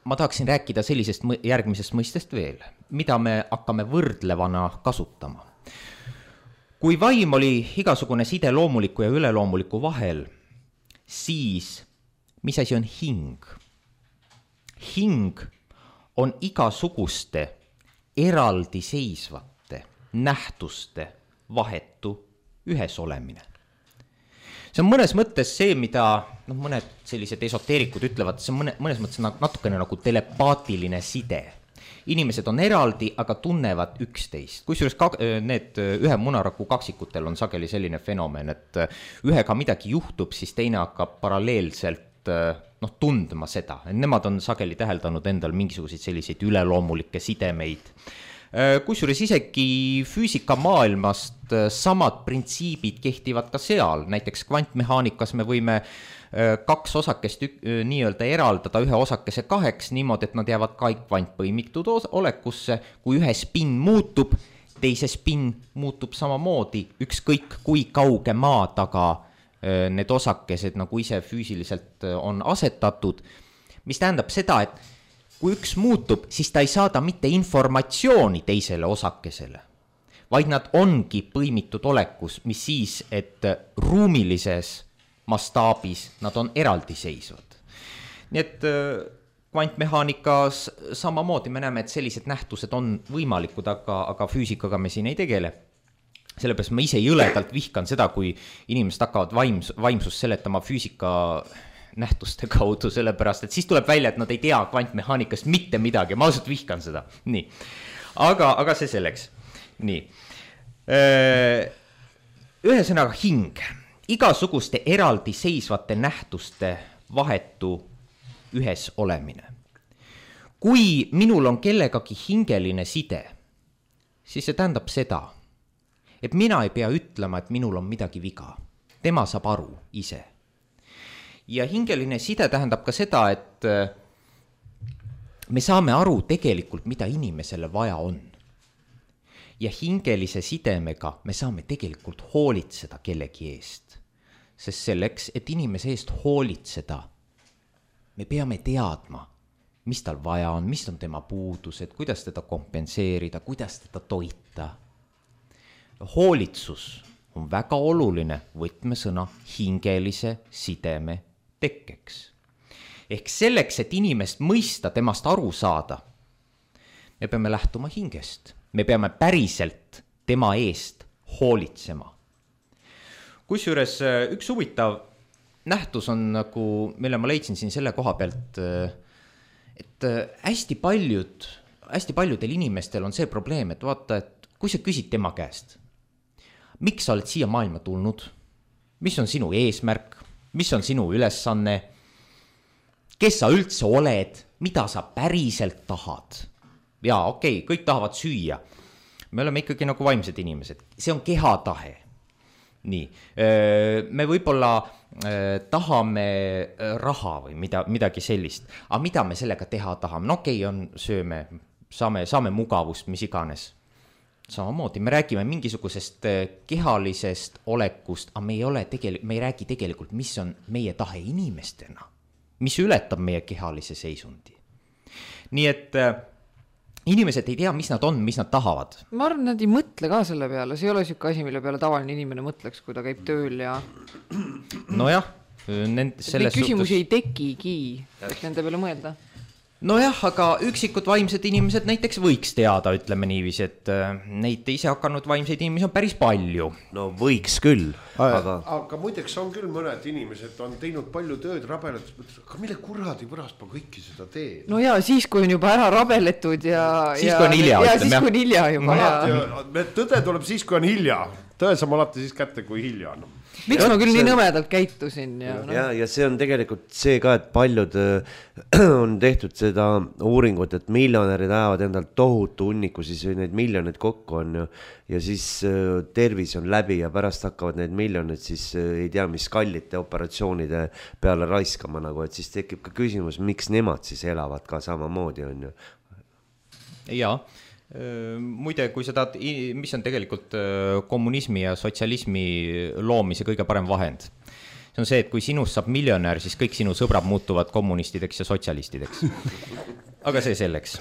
ma tahaksin rääkida sellisest järgmisest mõistest veel, mida me hakkame võrdlevana kasutama. Kui vaim oli igasugune side loomuliku ja üleloomuliku vahel, siis mis asi on hing? Hing on igasuguste eraldiseisvate nähtuste vahetu ühes olemine. See on mõnes mõttes see, mida no, mõned sellised esoteerikud ütlevad, see on mõne, mõnes mõttes natukene nagu telepaatiline side. Inimesed on eraldi, aga tunnevad üksteist. Kusjuures ka, need ühe munaraku kaksikutel on sageli selline fenomen, et ühega midagi juhtub, siis teine hakkab paralleelselt noh, tundma seda. Nemad on sageli täheldanud endal mingisuguseid selliseid üleloomulikke sidemeid. Kusjuures isegi füüsika maailmast samad printsiibid kehtivad ka seal. Näiteks kvantmehaanikas me võime kaks osakest nii-öelda eraldada ühe osakese kaheks niimoodi, et nad jäävad kõik kvantpõimitud olekusse. Kui ühe spin muutub, teise spin muutub samamoodi, ükskõik kui kauge maa taga need osakesed nagu ise füüsiliselt on asetatud, mis tähendab seda, et kui üks muutub, siis ta ei saada mitte informatsiooni teisele osakesele, vaid nad ongi põimitud olekus, mis siis, et ruumilises mastaabis nad on eraldiseisvad. Nii et kvantmehaanikas samamoodi me näeme, et sellised nähtused on võimalikud, aga, aga füüsikaga me siin ei tegele. Sellepärast ma ise jõledalt vihkan seda, kui inimesed hakkavad vaims, vaimsust seletama füüsika nähtuste kaudu, sellepärast, et siis tuleb välja, et nad ei tea kvantmehaanikast mitte midagi. Ma ausalt vihkan seda. Nii. Aga, aga see selleks. Nii. Ühesõnaga hing. Igasuguste eraldiseisvate nähtuste vahetu ühes olemine. Kui minul on kellegagi hingeline side, siis see tähendab seda, et mina ei pea ütlema, et minul on midagi viga. Tema saab aru ise. Ja hingeline side tähendab ka seda, et me saame aru tegelikult, mida inimesele vaja on. Ja hingelise sidemega me saame tegelikult hoolitseda kellegi eest. Sest selleks, et inimese eest hoolitseda, me peame teadma, mis tal vaja on, mis on tema puudused, kuidas teda kompenseerida, kuidas teda toita. Hoolitsus on väga oluline võtmesõna hingelise sideme tekkeks. Ehk selleks, et inimest mõista, temast aru saada, me peame lähtuma hingest. Me peame päriselt tema eest hoolitsema. Kusjuures üks huvitav nähtus on nagu, mille ma leidsin siin selle koha pealt, et hästi paljud, hästi paljudel inimestel on see probleem, et vaata, et kui sa küsid tema käest, miks sa oled siia maailma tulnud, mis on sinu eesmärk, mis on sinu ülesanne, kes sa üldse oled, mida sa päriselt tahad. Jaa, okei, okay, kõik tahavad süüa. Me oleme ikkagi nagu vaimsed inimesed. See on kehatahe. Nii, me võib-olla tahame raha või mida, midagi sellist. Aga mida me sellega teha tahame? No okei, okay, on sööme, saame, saame mugavust, mis iganes. Samamoodi, me räägime mingisugusest kehalisest olekust, aga me ei, ole tegel- me ei räägi tegelikult, mis on meie tahe inimestena, mis ületab meie kehalise seisundi. Nii et inimesed ei tea, mis nad on, mis nad tahavad. Ma arvan, nad ei mõtle ka selle peale. See ei ole siuke asi, mille peale tavaline inimene mõtleks, kui ta käib tööl ja... Nojah. Neid küsimusi ei tekigi, et nende peale mõelda. Nojah, aga üksikud vaimsed inimesed näiteks võiks teada, ütleme niiviisi, et neid ise hakanud vaimseid inimesi on päris palju. No võiks küll, aga... Aga muideks on küll mõned inimesed on teinud palju tööd rabeletud, aga mille kuradi pärast ma kõiki seda teen? No jaa, siis kui on juba ära rabeletud ja... Siis ja, kui on hilja, ja, siis kui on hilja juba. Ja. Tõde tuleb siis, kui on hilja. Tõe saab alati siis kätte, kui hilja on. Miks ja, ma küll see... nii nõmedalt käitusin? Ja, no. ja, ja see on tegelikult see ka, et paljud on tehtud seda uuringut, et miljonärid ajavad endal tohutu hunniku, siis neid miljoneid kokku on ju, ja siis tervis on läbi ja pärast hakkavad neid miljoneid siis ei tea, mis kallite operatsioonide peale raiskama nagu, et siis tekib ka küsimus, miks nemad siis elavad ka samamoodi on ju. Jaa. Muide, kui seda, mis on tegelikult kommunismi ja sotsialismi loomise kõige parem vahend. See on see, et kui sinust saab miljonär, siis kõik sinu sõbrad muutuvad kommunistideks ja sotsialistideks. Aga see selleks.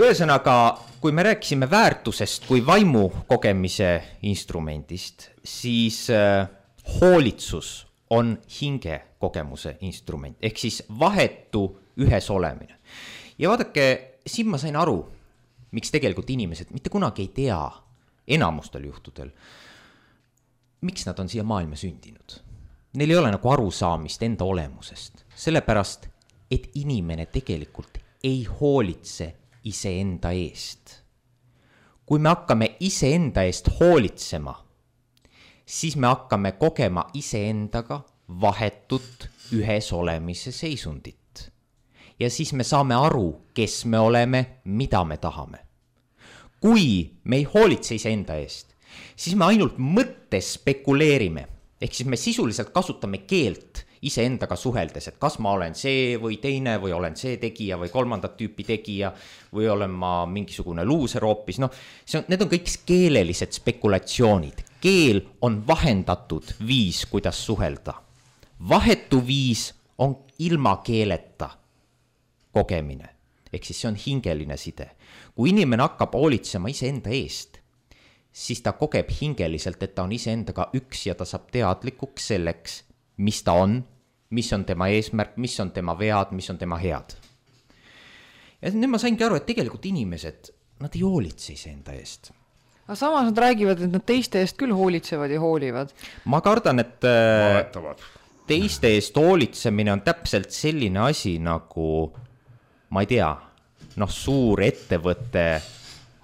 Ühesõnaga, kui me rääkisime väärtusest kui vaimu kogemise instrumendist, siis hoolitsus on hinge kogemuse instrument, ehk siis vahetu ühes olemine. Ja vaadake, siin ma sain aru, miks tegelikult inimesed mitte kunagi ei tea enamustel juhtudel, miks nad on siia maailma sündinud. Neil ei ole nagu arusaamist enda olemusest, sellepärast, et inimene tegelikult ei hoolitse iseenda eest. Kui me hakkame iseenda eest hoolitsema, siis me hakkame kogema iseendaga vahetut ühes olemise seisundit. Ja siis me saame aru, kes me oleme, mida me tahame. Kui me ei hoolitse iseenda eest, siis me ainult mõttes spekuleerime. Ehk siis me sisuliselt kasutame keelt iseendaga suheldes, et kas ma olen see või teine või olen see tegija või kolmandat tüüpi tegija või olen ma mingisugune luuser hoopis. No, see on, need on kõik keelelised spekulatsioonid. Keel on vahendatud viis, kuidas suhelda. Vahetu viis on ilma keeleta kogemine, ehk siis see on hingeline side. Kui inimene hakkab hoolitsema iseenda eest, siis ta kogeb hingeliselt, et ta on iseendaga üks ja ta saab teadlikuks selleks, mis ta on, mis on tema eesmärk, mis on tema vead, mis on tema head. Ja nüüd ma saingi aru, et tegelikult inimesed, nad ei hoolitse iseenda eest. Aga samas nad räägivad, et nad teiste eest küll hoolitsevad ja hoolivad. Ma kardan, et Valetavad. Teiste eest hoolitsemine on täpselt selline asi nagu ma ei tea, noh, suur ettevõte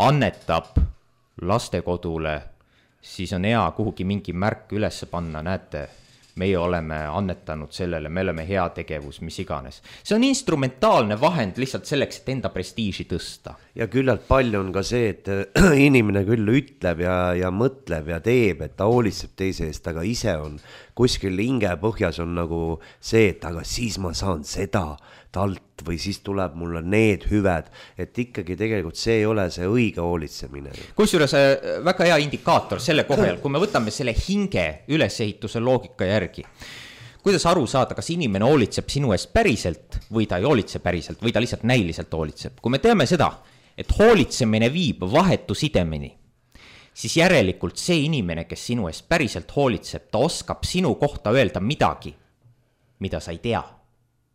annetab lastekodule, siis on hea kuhugi mingi märk üles panna, näete, meie oleme annetanud sellele, me oleme hea tegevus, mis iganes. See on instrumentaalne vahend lihtsalt selleks, et enda prestiiži tõsta. Ja küllalt palju on ka see, et inimene küll ütleb ja, ja mõtleb ja teeb, et ta hoolitseb teise eest, aga ise on kuskil hinge põhjas on nagu see, et aga siis ma saan seda talt või siis tuleb mulle need hüved, et ikkagi tegelikult see ei ole see õige hoolitsemine. Kusjuures väga hea indikaator selle kohal, kui me võtame selle hinge ülesehituse loogika järgi, kuidas aru saada, kas inimene hoolitseb sinu eest päriselt või ta ei hoolitse päriselt või ta lihtsalt näiliselt hoolitseb. Kui me teame seda, et hoolitsemine viib vahetu sidemini, siis järelikult see inimene, kes sinu eest päriselt hoolitseb, ta oskab sinu kohta öelda midagi, mida sa ei tea.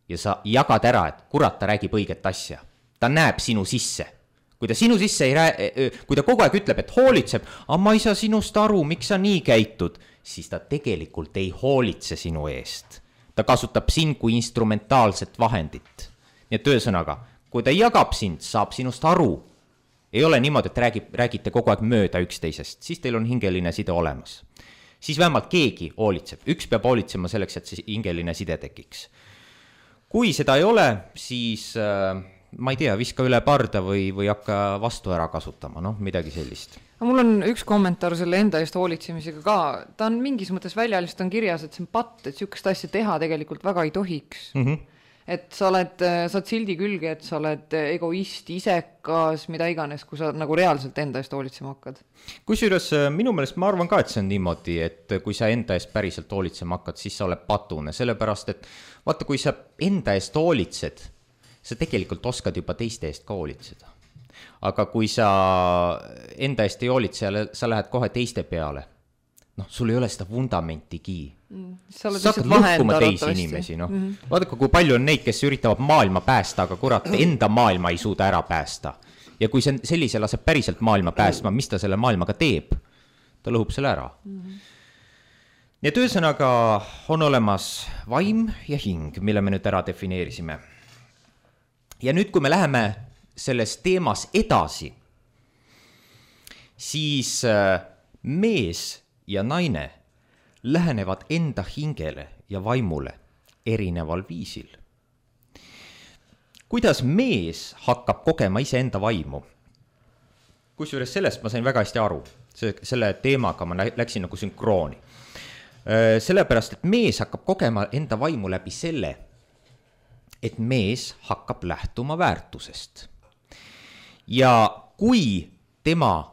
Ja sa jagad ära, et kurat, ta räägib õiget asja. Ta näeb sinu sisse. Kui ta sinu sisse ei rää... kui ta kogu aeg ütleb, et hoolitseb, aga ma ei saa sinust aru, miks sa nii käitud, siis ta tegelikult ei hoolitse sinu eest. Ta kasutab sind kui instrumentaalset vahendit. Nii et ühesõnaga, kui ta jagab sind, saab sinust aru. Ei ole niimoodi, et räägib, räägite kogu aeg mööda üksteisest, siis teil on hingeline side olemas. Siis vähemalt keegi hoolitseb. Üks peab hoolitsema selleks, et see hingeline side tekiks. Kui seda ei ole, siis äh, ma ei tea, viska üle parda või, või hakka vastu ära kasutama, noh, midagi sellist. Mul on üks kommentaar selle enda eest hoolitsemisega ka. Ta on mingis mõttes väljalist on kirjas, et see on patt, et sihukest asja teha tegelikult väga ei tohiks. Mm-hmm. Et sa oled, sa oled sildi külge, et sa oled egoist, isekas, mida iganes, kui sa nagu reaalselt enda eest hoolitsema hakkad. Kusjuures minu meelest ma arvan ka, et see on niimoodi, et kui sa enda eest päriselt hoolitsema hakkad, siis sa oled patune, sellepärast, et vaata, kui sa enda eest hoolitsed, sa tegelikult oskad juba teiste eest ka hoolitseda. Aga kui sa enda eest ei hoolitse, sa lähed kohe teiste peale, noh, sul ei ole seda fundamentigi. Mm, sa hakkad lõhkuma teisi inimesi, noh. Mm-hmm. Vaadake, kui palju on neid, kes üritavad maailma päästa, aga kurat, enda maailma ei suuda ära päästa. Ja kui see sellise laseb päriselt maailma päästma, mis ta selle maailmaga teeb? Ta lõhub selle ära. Mm-hmm. Nii et ühesõnaga on olemas vaim ja hing, mille me nüüd ära defineerisime. Ja nüüd, kui me läheme selles teemas edasi, siis mees ja naine lähenevad enda hingele ja vaimule erineval viisil. Kuidas mees hakkab kogema ise enda vaimu? Kusjuures sellest ma sain väga hästi aru. Selle teemaga ma läksin nagu sünkrooni. Sellepärast, et mees hakkab kogema enda vaimu läbi selle, et mees hakkab lähtuma väärtusest. Ja kui tema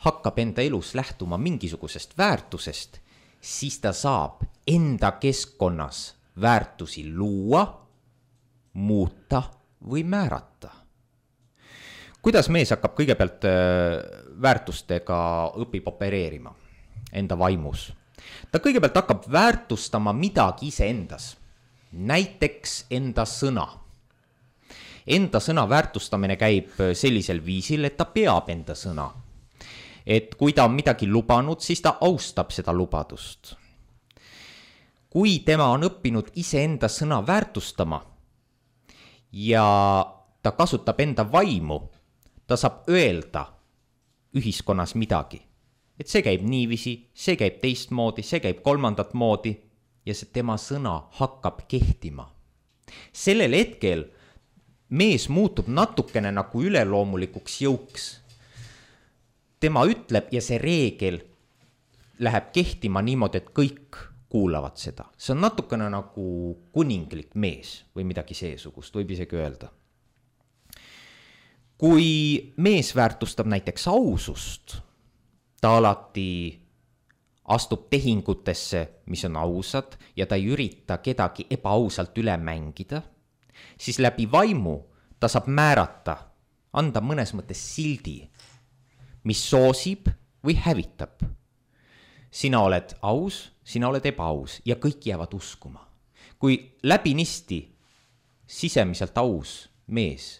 hakkab enda elus lähtuma mingisugusest väärtusest, siis ta saab enda keskkonnas väärtusi luua, muuta või määrata. Kuidas mees hakkab kõigepealt väärtustega õpib opereerima enda vaimus? Ta kõigepealt hakkab väärtustama midagi ise endas, näiteks enda sõna. Enda sõna väärtustamine käib sellisel viisil, et ta peab enda sõna. Et kui ta on midagi lubanud, siis ta austab seda lubadust. Kui tema on õppinud ise enda sõna väärtustama ja ta kasutab enda vaimu, ta saab öelda ühiskonnas midagi. Et see käib niivisi, see käib teistmoodi, see käib kolmandat moodi ja see tema sõna hakkab kehtima. Sellel hetkel mees muutub natukene nagu üleloomulikuks jõuks. Tema ütleb ja see reegel läheb kehtima niimoodi, et kõik kuulavad seda. See on natukene nagu kuninglik mees või midagi seesugust, võib isegi öelda. Kui mees väärtustab näiteks ausust, ta alati astub tehingutesse, mis on ausad ja ta ei ürita kedagi ebaausalt üle mängida, siis läbi vaimu ta saab määrata, anda mõnes mõttes sildi, mis soosib või hävitab. Sina oled aus, sina oled ebaaus ja kõik jäävad uskuma. Kui läbinisti sisemiselt aus mees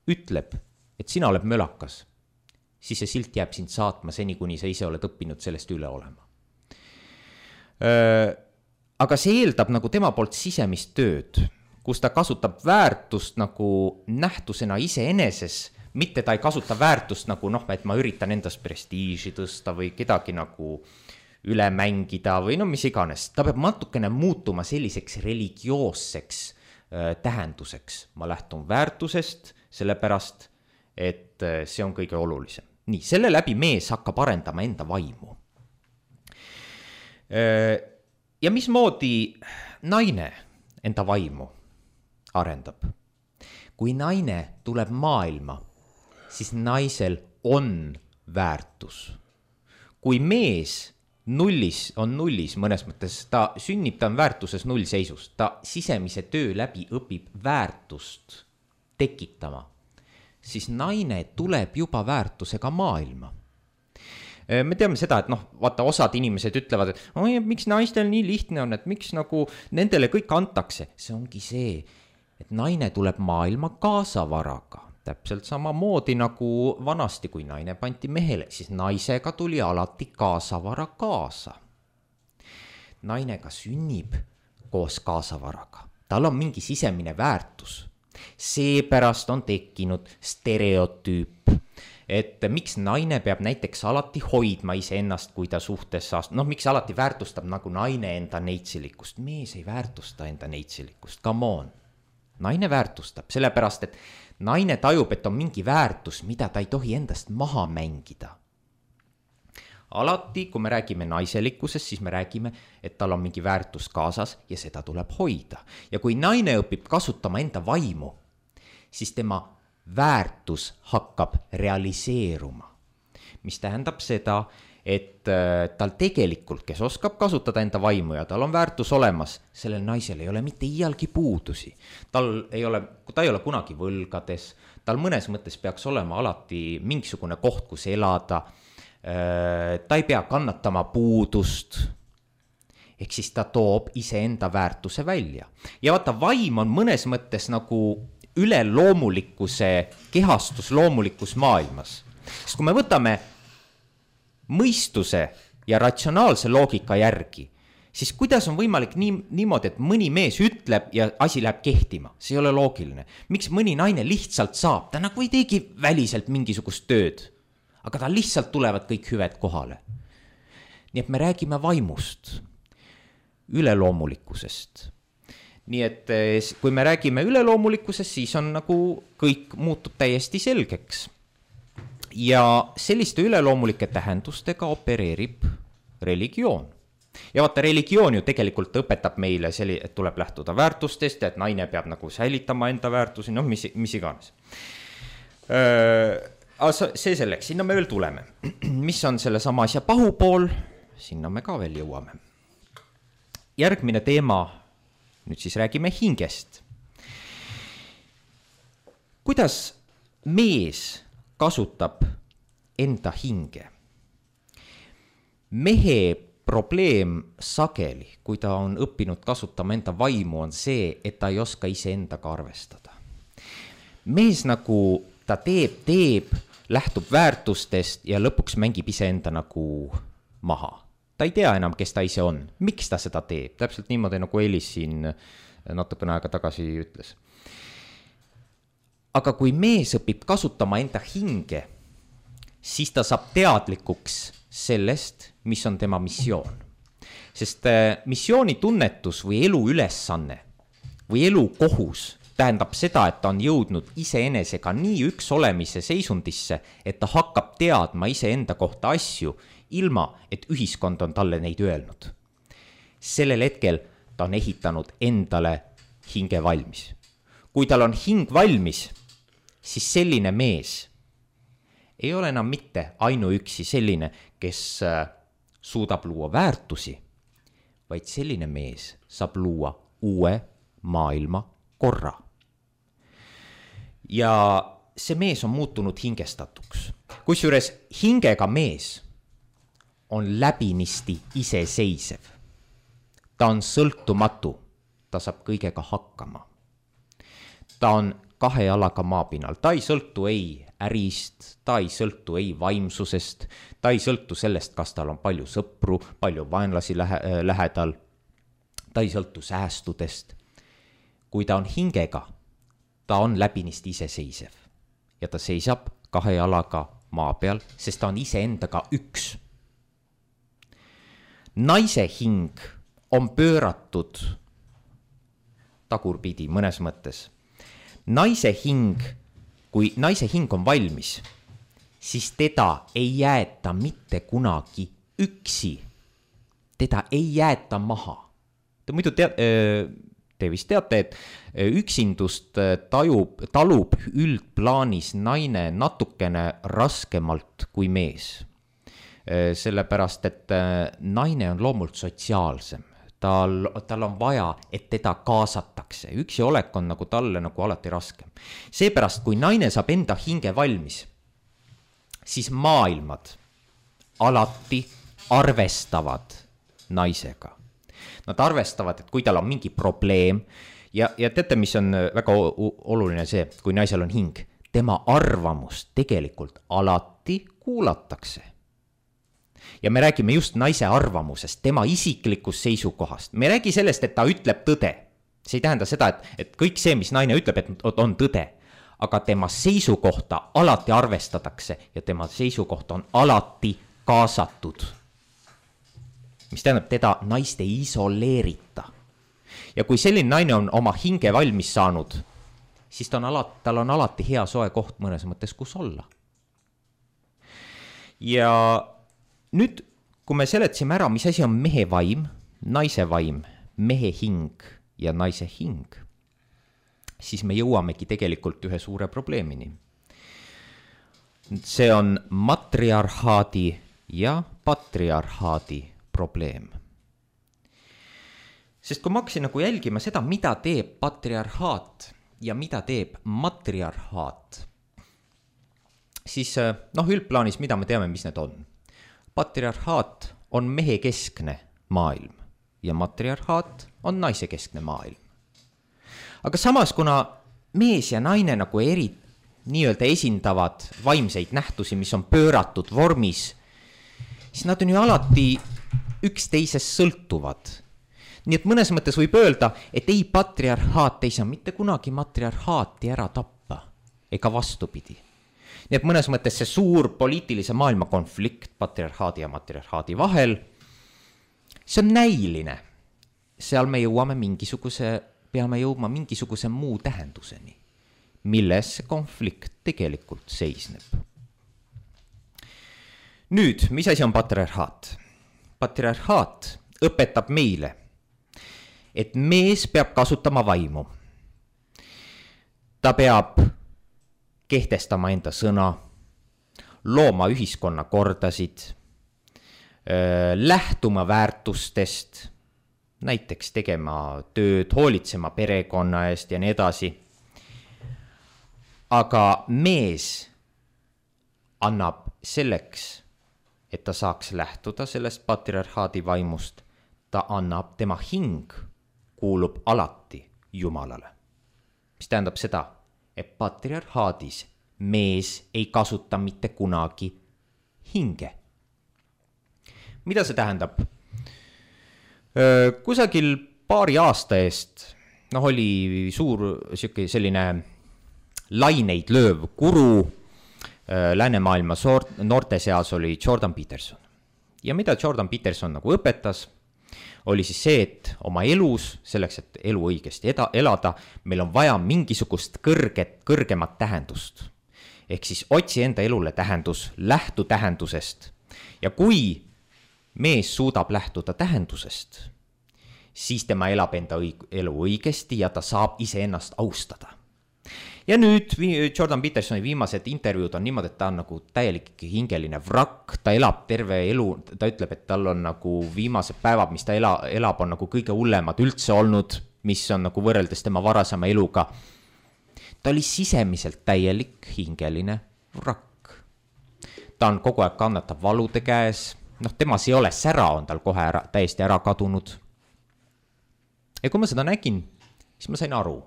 ütleb, et sina oled mölakas, siis see silt jääb sind saatma seni, kuni sa ise oled õppinud sellest üle olema. Aga see eeldab nagu tema poolt sisemist tööd, kus ta kasutab väärtust nagu nähtusena iseeneses, mitte ta ei kasuta väärtust nagu noh, et ma üritan endast prestiiži tõsta või kedagi nagu üle mängida või no mis iganes. Ta peab natukene muutuma selliseks religioosseks äh, tähenduseks. Ma lähtun väärtusest, sellepärast, et äh, see on kõige olulisem. Nii, selle läbi mees hakkab arendama enda vaimu. Äh, ja mismoodi naine enda vaimu arendab? Kui naine tuleb maailma, siis naisel on väärtus. Kui mees nullis on nullis mõnes mõttes, ta sünnib, ta on väärtuses nullseisus, ta sisemise töö läbi õpib väärtust tekitama, siis naine tuleb juba väärtusega maailma. me teame seda, et noh, vaata osad inimesed ütlevad, et oi, miks naistel nii lihtne on, et miks nagu nendele kõik antakse. See ongi see, et naine tuleb maailma kaasavaraga. Täpselt samamoodi nagu vanasti, kui naine panti mehele, siis naisega tuli alati kaasavara kaasa. Naine ka sünnib koos kaasavaraga. Tal on mingi sisemine väärtus. Seepärast on tekkinud stereotüüp, et miks naine peab näiteks alati hoidma iseennast, kui ta suhtes saast-, noh, miks alati väärtustab nagu naine enda neitsilikust, mees ei väärtusta enda neitsilikust, come on. Naine väärtustab, sellepärast, et naine tajub, et on mingi väärtus, mida ta ei tohi endast maha mängida. Alati, kui me räägime naiselikkusest, siis me räägime, et tal on mingi väärtus kaasas ja seda tuleb hoida. Ja kui naine õpib kasutama enda vaimu, siis tema väärtus hakkab realiseeruma. Mis tähendab seda, et tal tegelikult, kes oskab kasutada enda vaimu ja tal on väärtus olemas, sellel naisel ei ole mitte iialgi puudusi. Tal ei ole, ta ei ole kunagi võlgades, tal mõnes mõttes peaks olema alati mingisugune koht, kus elada, ta ei pea kannatama puudust, ehk siis ta toob iseenda väärtuse välja. Ja vaata, vaim on mõnes mõttes nagu üleloomulikkuse kehastus loomulikus maailmas. Sest kui me võtame mõistuse ja ratsionaalse loogika järgi, siis kuidas on võimalik nii, niimoodi, et mõni mees ütleb ja asi läheb kehtima? See ei ole loogiline. Miks mõni naine lihtsalt saab? Ta nagu ei teegi väliselt mingisugust tööd. Aga tal lihtsalt tulevad kõik hüved kohale. Nii et me räägime vaimust, üleloomulikkusest. Nii et kui me räägime üleloomulikkusest, siis on nagu kõik muutub täiesti selgeks. Ja selliste üleloomulike tähendustega opereerib religioon. Ja vaata, religioon ju tegelikult õpetab meile, selli, et tuleb lähtuda väärtustest, et naine peab nagu säilitama enda väärtusi, noh, mis, mis iganes. Öö, see selleks, sinna me veel tuleme. Mis on selle sama asja pahupool, sinna me ka veel jõuame. Järgmine teema, nüüd siis räägime hingest. Kuidas mees kasutab enda hinge? Mehe probleem sageli, kui ta on õppinud kasutama enda vaimu, on see, et ta ei oska iseendaga arvestada. Mees nagu ta teeb, teeb, lähtub väärtustest ja lõpuks mängib iseenda nagu maha. Ta ei tea enam, kes ta ise on. Miks ta seda teeb? Täpselt niimoodi, nagu Elis siin natukene aega tagasi ütles. Aga kui mees õpib kasutama enda hinge, siis ta saab teadlikuks sellest, mis on tema missioon. Sest missiooni tunnetus või elu ülesanne või elu kohus tähendab seda, et ta on jõudnud iseenesega nii üks olemise seisundisse, et ta hakkab teadma iseenda kohta asju, ilma et ühiskond on talle neid öelnud. Sellel hetkel ta on ehitanud endale hinge valmis. Kui tal on hing valmis, siis selline mees ei ole enam mitte ainuüksi selline, kes suudab luua väärtusi, vaid selline mees saab luua uue maailma korra. Ja see mees on muutunud hingestatuks. Kusjuures hingega mees on läbinisti iseseisev. Ta on sõltumatu, ta saab kõigega hakkama. Ta on kahe jalaga maapinnal, ta ei sõltu ei ärist, ta ei sõltu ei vaimsusest, ta ei sõltu sellest, kas tal on palju sõpru, palju vaenlasi lähe, lähedal, ta ei sõltu säästudest. Kui ta on hingega, ta on läbinisti iseseisev ja ta seisab kahe jalaga maa peal, sest ta on iseendaga üks. Naise hing on pööratud tagurpidi mõnes mõttes. Naise hing, kui naise hing on valmis, siis teda ei jäeta mitte kunagi üksi. Teda ei jäeta maha. Te muidu tead... Te vist teate, et üksindust tajub, talub üldplaanis naine natukene raskemalt kui mees. Sellepärast, et naine on loomult sotsiaalsem. Tal, tal on vaja, et teda kaasatakse. Üksi olek on nagu talle nagu alati raskem. Seepärast, kui naine saab enda hinge valmis, siis maailmad alati arvestavad naisega. Nad arvestavad, et kui tal on mingi probleem ja, ja teate, mis on väga oluline see, kui naisel on hing, tema arvamust tegelikult alati kuulatakse. Ja me räägime just naise arvamusest, tema isiklikust seisukohast. Me räägi sellest, et ta ütleb tõde. See ei tähenda seda, et, et kõik see, mis naine ütleb, et on tõde. Aga tema seisukohta alati arvestatakse ja tema seisukoht on alati kaasatud. Mis tähendab, teda naist ei isoleerita. Ja kui selline naine on oma hinge valmis saanud, siis ta on alati, tal on alati hea soe koht mõnes mõttes, kus olla. Ja nüüd, kui me seletasime ära, mis asi on mehe vaim, naise vaim, mehe hing ja naise hing, siis me jõuamegi tegelikult ühe suure probleemini. See on matriarhaadi ja patriarhaadi probleem. Sest kui ma hakkasin nagu jälgima seda, mida teeb patriarhaat ja mida teeb matriarhaat, siis noh, üldplaanis, mida me teame, mis need on. Patriarhaat on mehe keskne maailm ja matriarhaat on naise keskne maailm. Aga samas, kuna mees ja naine nagu eri nii-öelda esindavad vaimseid nähtusi, mis on pööratud vormis, siis nad on ju alati üksteisest sõltuvad. Nii et mõnes mõttes võib öelda, et ei patriarhaat ei saa mitte kunagi matriarhaati ära tappa, ega vastupidi. Nii et mõnes mõttes see suur poliitilise maailma konflikt patriarhaadi ja matriarhaadi vahel, see on näiline. Seal me jõuame mingisuguse, peame jõudma mingisuguse muu tähenduseni, milles see konflikt tegelikult seisneb. Nüüd, mis asi on patriarhaat? Patriarhaat õpetab meile, et mees peab kasutama vaimu. Ta peab kehtestama enda sõna, looma ühiskonna kordasid, lähtuma väärtustest, näiteks tegema tööd, hoolitsema perekonna eest ja nii edasi. Aga mees annab selleks, et ta saaks lähtuda sellest patriarhaadi vaimust, ta annab, tema hing kuulub alati Jumalale. Mis tähendab seda, et patriarhaadis mees ei kasuta mitte kunagi hinge. Mida see tähendab? Kusagil paari aasta eest noh, oli suur selline laineid lööv guru läänemaailma noorte seas oli Jordan Peterson. Ja mida Jordan Peterson nagu õpetas, oli siis see, et oma elus, selleks, et elu õigesti eda, elada, meil on vaja mingisugust kõrget, kõrgemat tähendust. Ehk siis otsi enda elule tähendus, lähtu tähendusest. Ja kui mees suudab lähtuda tähendusest, siis tema elab enda õig- elu õigesti ja ta saab ise ennast austada. Ja nüüd Jordan Petersoni viimased intervjuud on niimoodi, et ta on nagu täielik hingeline vrakk, ta elab terve elu, ta ütleb, et tal on nagu viimased päevad, mis ta ela, elab, on nagu kõige hullemad üldse olnud, mis on nagu võrreldes tema varasema eluga. Ta oli sisemiselt täielik hingeline vrakk. Ta on kogu aeg kannatab valude käes, noh, temas ei ole sära, on tal kohe ära, täiesti ära kadunud. Ja kui ma seda nägin, siis ma sain aru.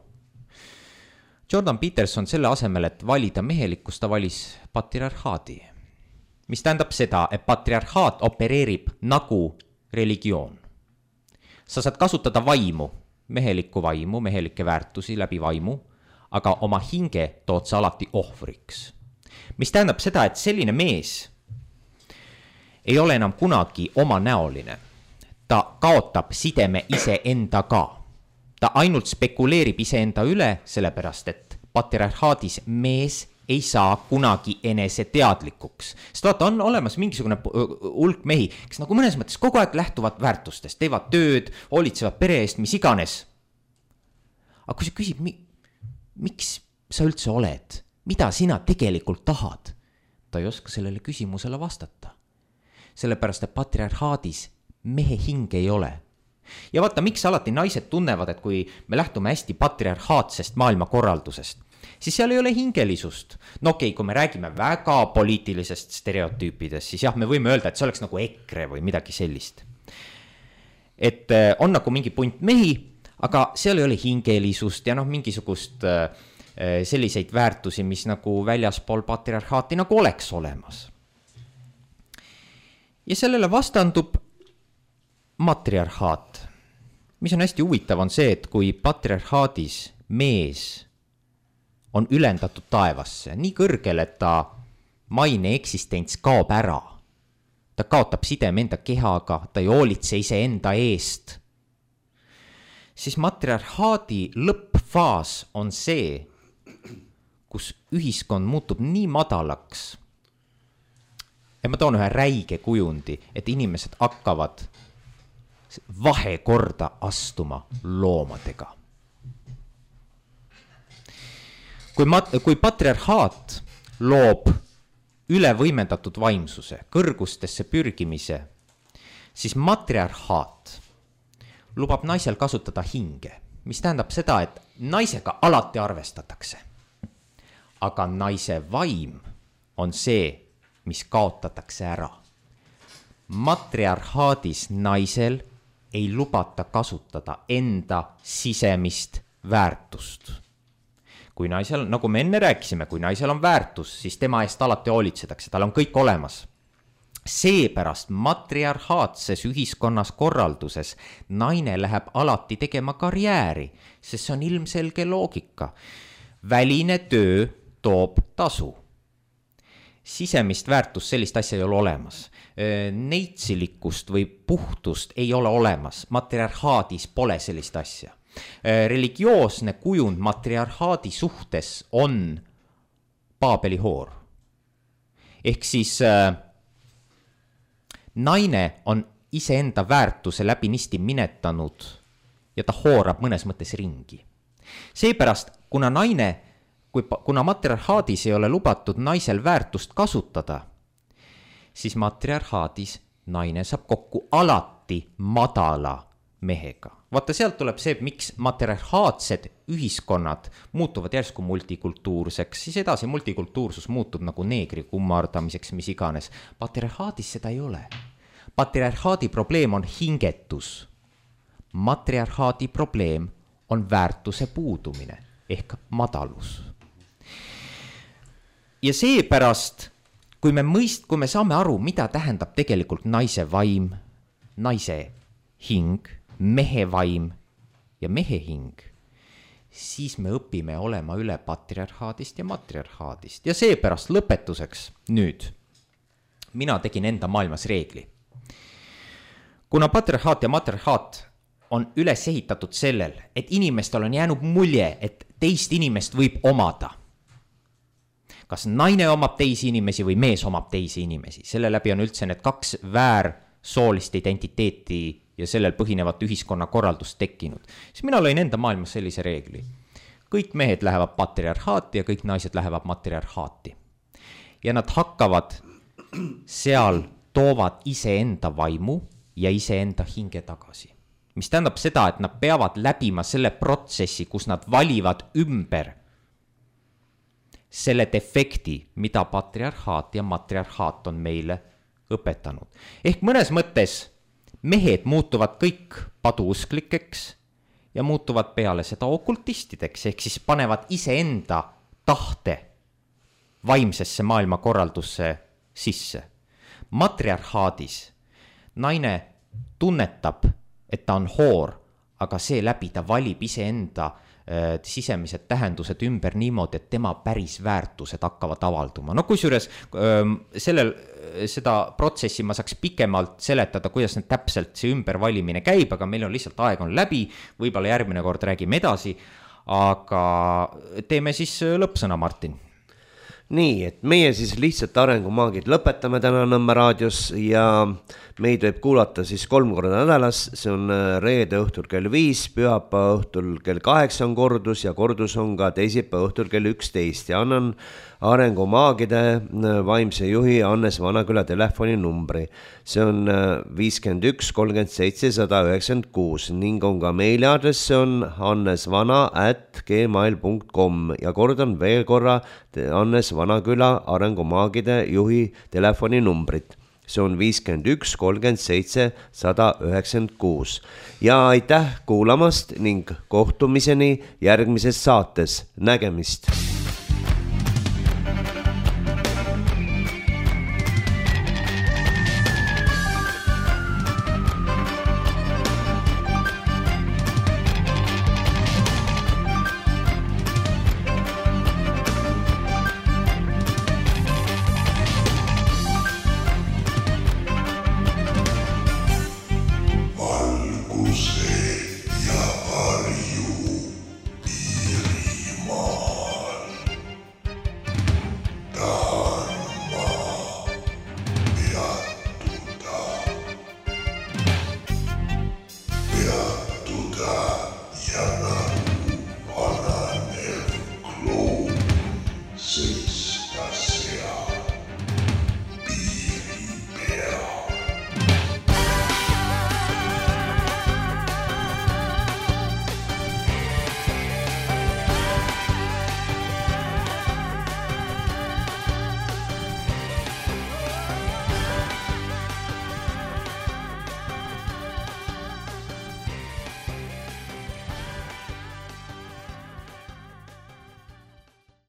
Jordan Peterson selle asemel, et valida mehelikkust, ta valis patriarhaadi. Mis tähendab seda, et patriarhaat opereerib nagu religioon. Sa saad kasutada vaimu, mehelikku vaimu, mehelikke väärtusi läbi vaimu, aga oma hinge tood sa alati ohvriks. Mis tähendab seda, et selline mees ei ole enam kunagi oma näoline. Ta kaotab sideme ise endaga. Ta ainult spekuleerib iseenda üle, sellepärast, et patriarhaadis mees ei saa kunagi enese teadlikuks. Sest vaata, on olemas mingisugune hulk mehi, kes nagu mõnes mõttes kogu aeg lähtuvad väärtustest, teevad tööd, hoolitsevad pere eest, mis iganes. Aga kui sa küsib, mi, miks sa üldse oled, mida sina tegelikult tahad, ta ei oska sellele küsimusele vastata. Sellepärast, et patriarhaadis mehe hing ei ole. Ja vaata, miks alati naised tunnevad, et kui me lähtume hästi patriarhaatsest maailmakorraldusest, siis seal ei ole hingelisust. No okei okay,, kui me räägime väga poliitilisest stereotüüpidest, siis jah, me võime öelda, et see oleks nagu EKRE või midagi sellist. Et on nagu mingi punt mehi, aga seal ei ole hingelisust ja noh, mingisugust selliseid väärtusi, mis nagu väljaspool patriarhaati nagu oleks olemas. Ja sellele vastandub matriarhaat. Mis on hästi huvitav on see, et kui patriarhaadis mees on ülendatud taevasse nii kõrgele, et ta maine eksistents kaob ära, ta kaotab sideme enda kehaga, ta ei hoolitse ise enda eest, siis matriarhaadi lõppfaas on see, kus ühiskond muutub nii madalaks. Ja ma toon ühe räige kujundi, et inimesed hakkavad vahekorda astuma loomadega. Kui, mat- kui patriarhaat loob ülevõimendatud vaimsuse, kõrgustesse pürgimise, siis matriarhaat lubab naisel kasutada hinge, mis tähendab seda, et naisega alati arvestatakse. Aga naise vaim on see, mis kaotatakse ära. Matriarhaadis naisel ei lubata kasutada enda sisemist väärtust. Kui naisel, nagu me enne rääkisime, kui naisel on väärtus, siis tema eest alati hoolitsetakse, tal on kõik olemas. Seepärast matriarhaatses ühiskonnas korralduses naine läheb alati tegema karjääri, sest see on ilmselge loogika. Väline töö toob tasu. Sisemist väärtust sellist asja ei ole olemas. Neitsilikkust või puhtust ei ole olemas. Matriarhaadis pole sellist asja. Religioosne kujund matriarhaadi suhtes on Paabeli hoor. Ehk siis äh, naine on iseenda väärtuse läbinisti minetanud ja ta hoorab mõnes mõttes ringi. Seepärast, kuna naine, kui, kuna matriarhaadis ei ole lubatud naisel väärtust kasutada, siis matriarhaadis naine saab kokku alati madala mehega. Vaata, sealt tuleb see, miks matriarhaatsed ühiskonnad muutuvad järsku multikultuurseks, siis edasi multikultuursus muutub nagu neegri kummardamiseks, mis iganes. Patriarhaadis seda ei ole. Patriarhaadi probleem on hingetus. Matriarhaadi probleem on väärtuse puudumine ehk madalus. Ja seepärast, kui me mõist, kui me saame aru, mida tähendab tegelikult naise vaim, naise hing, mehe vaim ja mehe hing, siis me õpime olema üle patriarhaadist ja matriarhaadist. Ja seepärast lõpetuseks nüüd, mina tegin enda maailmas reegli. Kuna patriarhaat ja matriarhaat on üles ehitatud sellel, et inimestel on jäänud mulje, et teist inimest võib omada. Kas naine omab teisi inimesi või mees omab teisi inimesi. Selle läbi on üldse need kaks väärsoolist identiteeti ja sellel põhinevat ühiskonna korraldust tekkinud. Siis mina lõin enda maailmas sellise reegli. Kõik mehed lähevad patriarhaati ja kõik naised lähevad matriarhaati. Ja nad hakkavad seal, toovad iseenda vaimu ja iseenda hinge tagasi. Mis tähendab seda, et nad peavad läbima selle protsessi, kus nad valivad ümber selle defekti, mida patriarhaat ja matriarhaat on meile õpetanud. Ehk mõnes mõttes mehed muutuvad kõik paduusklikeks ja muutuvad peale seda okultistideks, ehk siis panevad iseenda tahte vaimsesse maailmakorraldusse sisse. Matriarhaadis naine tunnetab, et ta on hoor, aga see läbi ta valib iseenda äh, sisemised tähendused ümber niimoodi, et tema päris väärtused hakkavad avalduma. No kusjuures äh, sellel, seda protsessi ma saaks pikemalt seletada, kuidas need täpselt see ümbervalimine käib, aga meil on lihtsalt aeg on läbi, võib-olla järgmine kord räägime edasi, aga teeme siis lõppsõna, Martin. Nii, et meie siis lihtsalt arengumaagid lõpetame täna Nõmme raadios ja meid võib kuulata siis kolm korda nädalas, see on reede õhtul kell viis, pühapäeva õhtul kell kaheksa on kordus ja kordus on ka teisipäeva õhtul kell üksteist ja annan arengumaagide vaimse juhi Hannes Vanaküla telefoninumbri. See on viiskümmend üks kolmkümmend seitse sada üheksakümmend kuus ning on ka meiliaadress, see on hannesvana at gmail punkt com ja kordan veel korra Hannes Vanaküla arengumaagide juhi telefoninumbrit. See on viiskümmend üks kolmkümmend seitse sada üheksakümmend kuus. Ja aitäh kuulamast ning kohtumiseni järgmises saates. Nägemist!